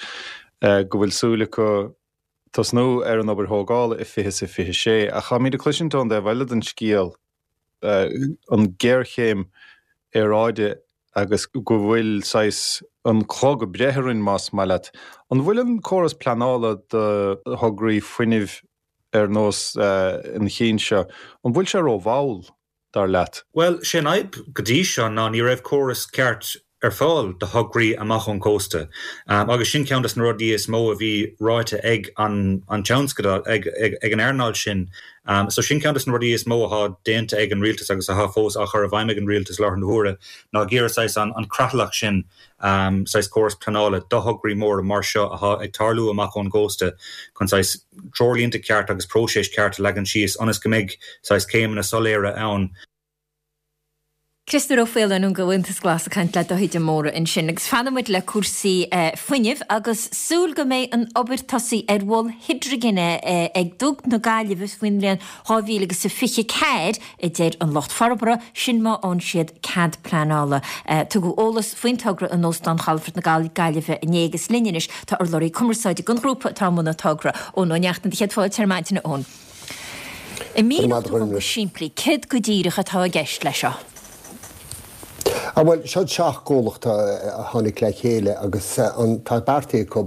go bhfuil súil acu tosnú ar an obair thógála i fiche is a fiche sé. Ach táimid ag cloisint ón dtaobh eile den scéal an géarchéim aeráide agus go bhfuil saghas an clog ag breith orainn más maith leat. An bhfuil an córas pleanála do thograí fuinnimh ar nós an chinn seo, an bhfuil sé ró-mhall, dar leat?
Bhuel, sé an fhadhb go dtí seo ná ní raibh córas ceart ar fáil do thograí amach ón gcósta agus sin ceann de na rudaí is mó a bhí ráite ag an an tionscadal, ag ag an earnáil sin. So sin ceann de na rudaí is mó atá déanta ag an rialtas agus atá fós á chur i bhfeidhm ag an rialtas láthair na huaire ná ag iarraidh saghas an an creatlach sin, saghas córas pleanála do thograí móra mar seo atá ag tarlú amach ón gcósta chun saghas treoirlínte ceart agus próiseas ceart a leagan síos ionas go mbeidh saghas céimeanna soiléire ann.
Criostóir Ó Faoláin ón gComhaontas Glas ag caint le Dáithí de Mórdha ansin. Agus fanfaidh muid le cúrsaí fuinnimh agus súil go mbeidh an obair tosaithe ar mhol hidrigine ag Duc na Gaillimhe faoin mbliain dhá mhíle agus a fiche ceathair, a deir an lucht forbartha, sin má fhaigheann siad cead pleanála. Tugadh eolas faoin togra in Óstán Chalafort na Gaillimhe inné agus linn anois tá urlabhraí cumarsáide don ghrúpa atá i mbun an togra, Eoin Ó Neachtain. Céad fáilte ar maidin, a Eoin. An míneofá dom go simplí céard go díreach atá i gceist leis seo?
Ah bhuel, seo seacht gcomhlacht a tháinig le chéile agus tá beartaithe acu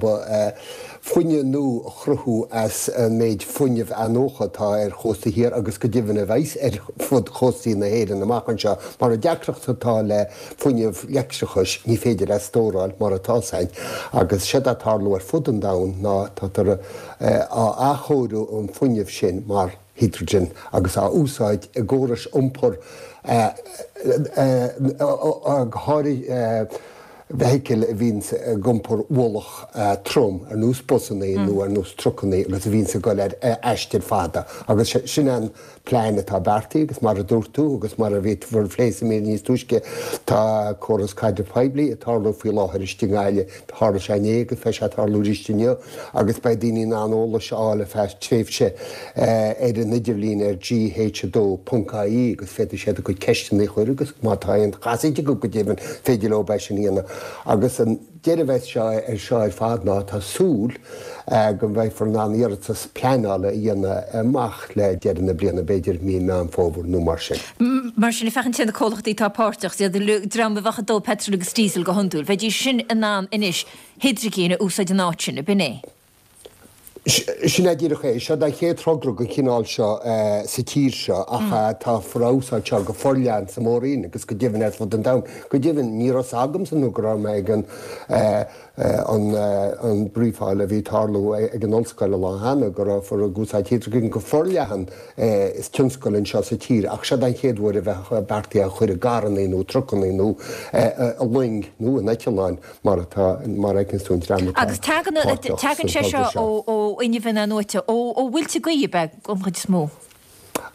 fuinneamh nua a chruthú as an méid fuinnimh athnuaite atá ar chósta thiar agus go deimhin a bheas ar fud chóstaí na hÉireann amach anseo. Mar an deacracht atá le fuinneamh leictreachais, ní féidir é a stóráil mar atá ann agus séard atá ag tarlú ar fud an domhain ná táthar á athchóiriú an fuinneamh sin mar hidrigin agus á úsáid i gcórais iompair go háirithe feithicil a bhíonns ag iompar ualach trom ar nós busanna nó ar nós trucanna agus a bhíonns ag dul ar aistir fada agus sin an plean atá beartaithe agus mar a dúirt tú agus mar a bhí bhur phlé sa mír níos túisce tá córas caidrimh poiblí ag tarlú faoi láthair istigh i nGaillimh. Tharla sé inné agus beidh sé ag tarlú arís inniu agus beidh daoine in ann eolas a fháil ar feadh tréimhse ar an idirlíon ar G H a dó ponc I E agus féadfaidh siad a gcuid ceisteanna a chur agus má tá aon chasaoid acu go deimhin féidir leo é sin a dhéanamh agus an deireadh a bheas seo ar seo ar fad ná tá súil go mbeifear in ann iarratas pleanála a dhéanamh amach le deireadh na bliana, b'fhéidir mí Meán Fómhair nó mar sin.
Mar sin, ag féachaint ar na comhlachtaí atá páirteach, is iad an dream a bheadh ag dó peitreal agus díosal go hiondúil, bheidís sin in ann anois hidrigin a úsáid in áit sin, ab in é?
Sin é díreach é. Seo an chéad togra den chineál seo sa tír seo ach táthar á úsáid seo go forleathan sa Mhór-Roinn agus go deimhin ar fud an domhain. Go deimhin, ní raibh a fhios agamsa nó go raibh mé ag an an brioifáil a bhí ag tarlú ag an ollscoil an lá cheana go rabhthar ag úsáid hidrigin go forleathan is tionscal anseo sa tír ach seo an chéad uair a bheadh beartaithe a chur i gcarranna nó trucanna nó i loing nó in eitleáin mar atá mar a fheiceanns tú an dream atá
Agus tagann
páirteach
tagann
sa
sé
togra
seo
seo.
ó ó fhuinneamh in-athnuaite, ó ó mhuilte gaoithe ab ea an chuid is mó?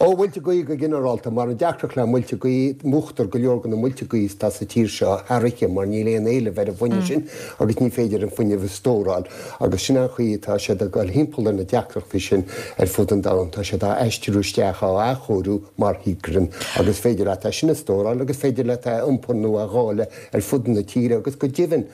Ó mhuilte gaoithe go ginearálta, mar an deacracht le muilte gaoithe, múchtar go leor de na muilte gaoithe atá sa tír seo thar oíche mar níl aon éileamh ar an bhfuinneamh sin agus ní féidir an fuinneamh a stóráil agus sin an chaoi atá siad ag dul thimpeall ar na deacrachtaí sin ar fud an domhain, tá siad á aistriú isteach, á athchóiriú mar hidrigin agus féidir leat é sin a stóráil agus féidir leat é a iompar nó a dháileadh ar fud na tíre agus go deimhin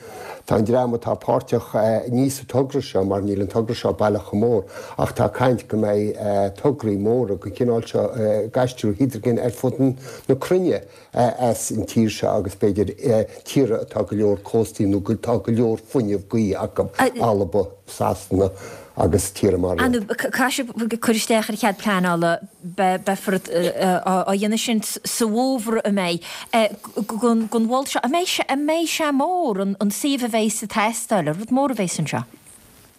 tá an dream atá páirteach ní sa togra seo mar níl an togra seo baileach chomh mór ach tá caint go mbeidh tograí móra den chineál seo ag aistriú hidrigin ar fud na cruinne as an tír seo agus b'fhéidir tíortha atá go leor cóstaí nó tá go leor fuinneamh gaoithe acu, Alba, Sasana agus tíortha mar iad.
Caithfidh sibh cur isteach ar chead pleanála, beifear á dhéanamh sin sa bhfómhar an mbeidh don mhol seo, an mbeidh sé mór, an suíomh a bheidh ag teastáil, rud mór a bheas anseo?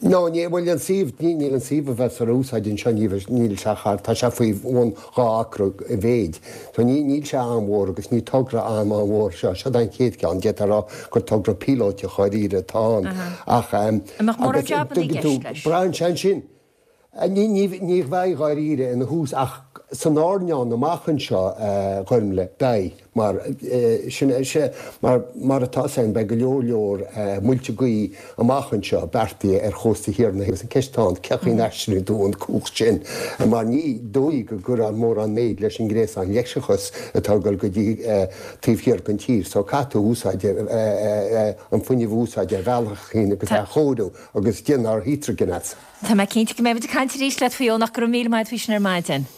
No, ní, bhuel an suíomh, ní, níl an suíomh a bheas ar úsáid anseo, ní bheidh, níl sé thar, tá sé faoi bhun dhá acra i mhéid. So ní, níl sé an-mhór agus ní togra an-an-mhór seo, seo an chéad cheann, d'fhéadfá a rá gur togra píolótach dháiríre atá ann. Ach,
An mbeadh mórán
agus
jabanna i
dtuigeann tú,
gceist leis?
braitheann sé ansin. Ní, ní, ní bheidh dháiríre ina thús ach san airneán amach anseo, a Ghormlaith, beidh. Mar sin, mar mar atá ann, beidh go leor leor muilte gaoithe amach anseo beartaithe ar chósta thiar na agus an ceist atá ann, cén chaoi a n-aistreoidh tú an cumhacht sin? Mar ní dóigh go gcuirfear mórán méid leis an ngréasán leictreachais atá ag dul go dtí taobh thiar den tír. So caithfidh tú úsáid an fuinneamh a úsáid ar bhealach éigin agus é a chóiriú agus déanamh hidrigin as.
Tá mé cinnte go mbeidh muid ag caint arís leat faoi Eoin ach go raibh míle maith agat faoi sin ar maidin.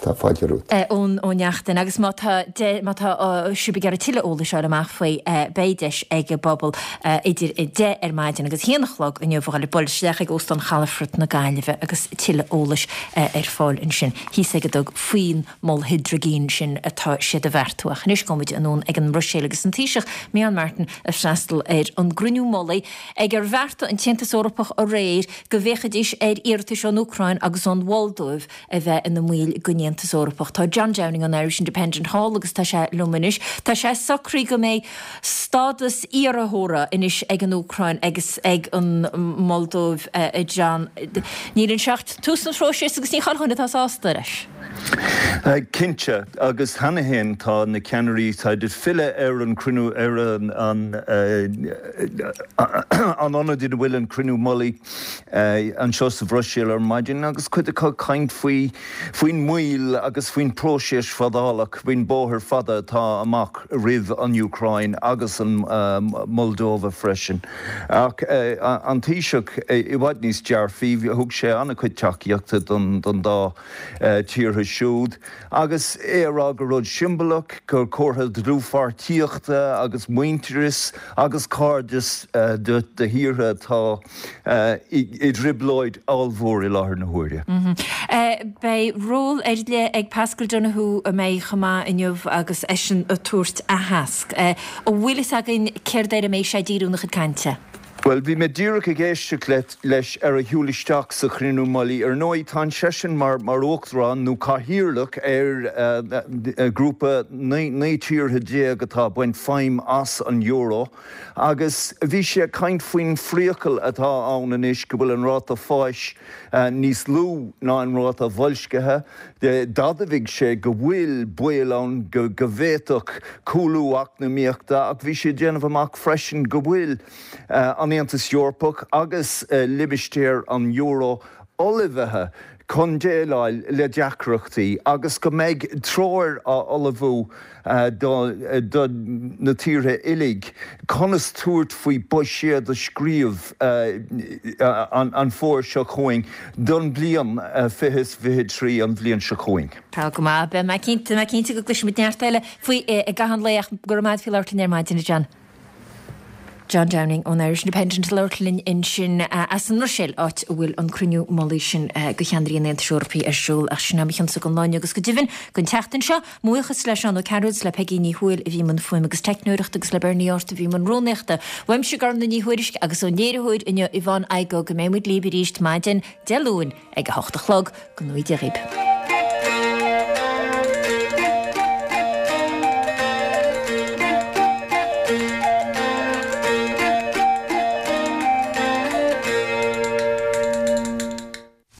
Tá fáilte romhat.
Eoin Ó Neachtain, Agus má tá má tá sibh ag iarraidh tuilleadh eolais a fháil amach faoi, beidh deis ag an bpobal idir a deich ar maidin agus a haon a chlog inniu a dhul ag bualadh isteach ag Óstán Chalafort na Gaillimhe agus tuilleadh eolais ar fáil ansin thíos ag an dtug faoin mol hidrigine sin atá siad a bheartú. Ach anois gabhfaidh muid anonn ag an mBruiséil agus an Taoiseach Micheál Martin ag freastal ar an gcruinniú mullaigh ag ar bheartaigh an tAontas Eorpach aréir go bhféachfaidís ar iarratais ón Úcráin agus ón Mholdóiv a bheith ina mbaill den Aontas Eorpach. Tá John Downing ón Irish Independent thall agus tá sé liom anois. Tá sé socraithe go mbeidh stádas iarrthóra anois ag an Úcráin agus ag an Moldóiv, a John. Níl anseo ach tús an phróisis agus ní chuile dhuine atá sásta leis.
Cinnte, agus cheana féin tá na ceannairí táid ag filleadh ar an cruinniú, ar an an ionad ina bhfuil an cruinniú mullaigh anseo sa Bhruiséil ar maidin agus cuid acu ag caint faoi faoin mbaol mhoill agus faoin próiseas fadálach, faoin bóthar fada atá amach roimh an Úcráin agus an Moldova freisin. Ach an Taoiseach i bhfad níos dearfaí, thug sé an-chuid tacaíochta don dá tíortha siúd agus é a rá gur rud siombalach, gur comhartha dlúthpháirtíochta agus muintearas agus cairdeas do thíortha atá i dtrioblóid ollmhór i láthair na huaire.
Beidh ról ar leith ag Paschal Donohoe a mbeidh chomh maith inniu agus eisean ag tabhairt aitheasc. An bhfuil fhios againn céard air a mbeidh sé ag díriú ina chuid cainte?
Bhuel, bhí mé díreach ag éisteacht leis ar a shiúl isteach sa chruinniú mullaigh. Ar ndóigh, tá seisean mar mar uachtarán nó cathaoirleach ar ghrúpa naoi tíortha déag atá ag baint feidhm as an euro agus bhí sé ag caint faoin phriacal atá ann anois go bhfuil an ráta fáis níos lú ná an ráta boilscithe. D'admhaigh sé go bhfuil baol ann go bhféadfadh cúlú eacnamaíochta ach bhí sé ag déanamh amach freisin go bhfuil an Aontas Eorpach agus limistéar an euro ullmhaithe chun déileáil le deacrachtaí agus go mbeidh treoir á ullmhú do na tíortha uilig conas tabhairt faoi buiséad a scríobh an fómhar seo chugainn don bhliain fiche is fiche trí, an bhliain seo chugainn.
Tá go maith. Beidh mé cinnte, mé cinnte go gcloisfimid neart eile faoi i gcaitheamh an lae ach go raibh maith agat faoi labhairt linn ar maidin, a John. John Downing ón Irish Independent ag labhairt linn ansin as an mBruiséil, áit a bhfuil an cruinniú mullaigh sin do cheannairí an Aontais Eorpaigh ar siúl. Ach sin é mo chionsa don lá inniu agus go deimhin don tseachtain seo. Mo bhuíochas le Seán Ó Cearúil is le Peigí Ní Thuathail a bhí i mbun fuaime agus teicneoireachta agus le Bernie Art a bhí i mbun rúnaíochta. Uaimse Gormlaith Ní Thuairisg agus ón léiritheoir inniu Yvonne Igoe go mbeidh muid libh arís maidin Dé Luain ag a hocht a chlog. Go ngnóthaí Dia dhaoibh.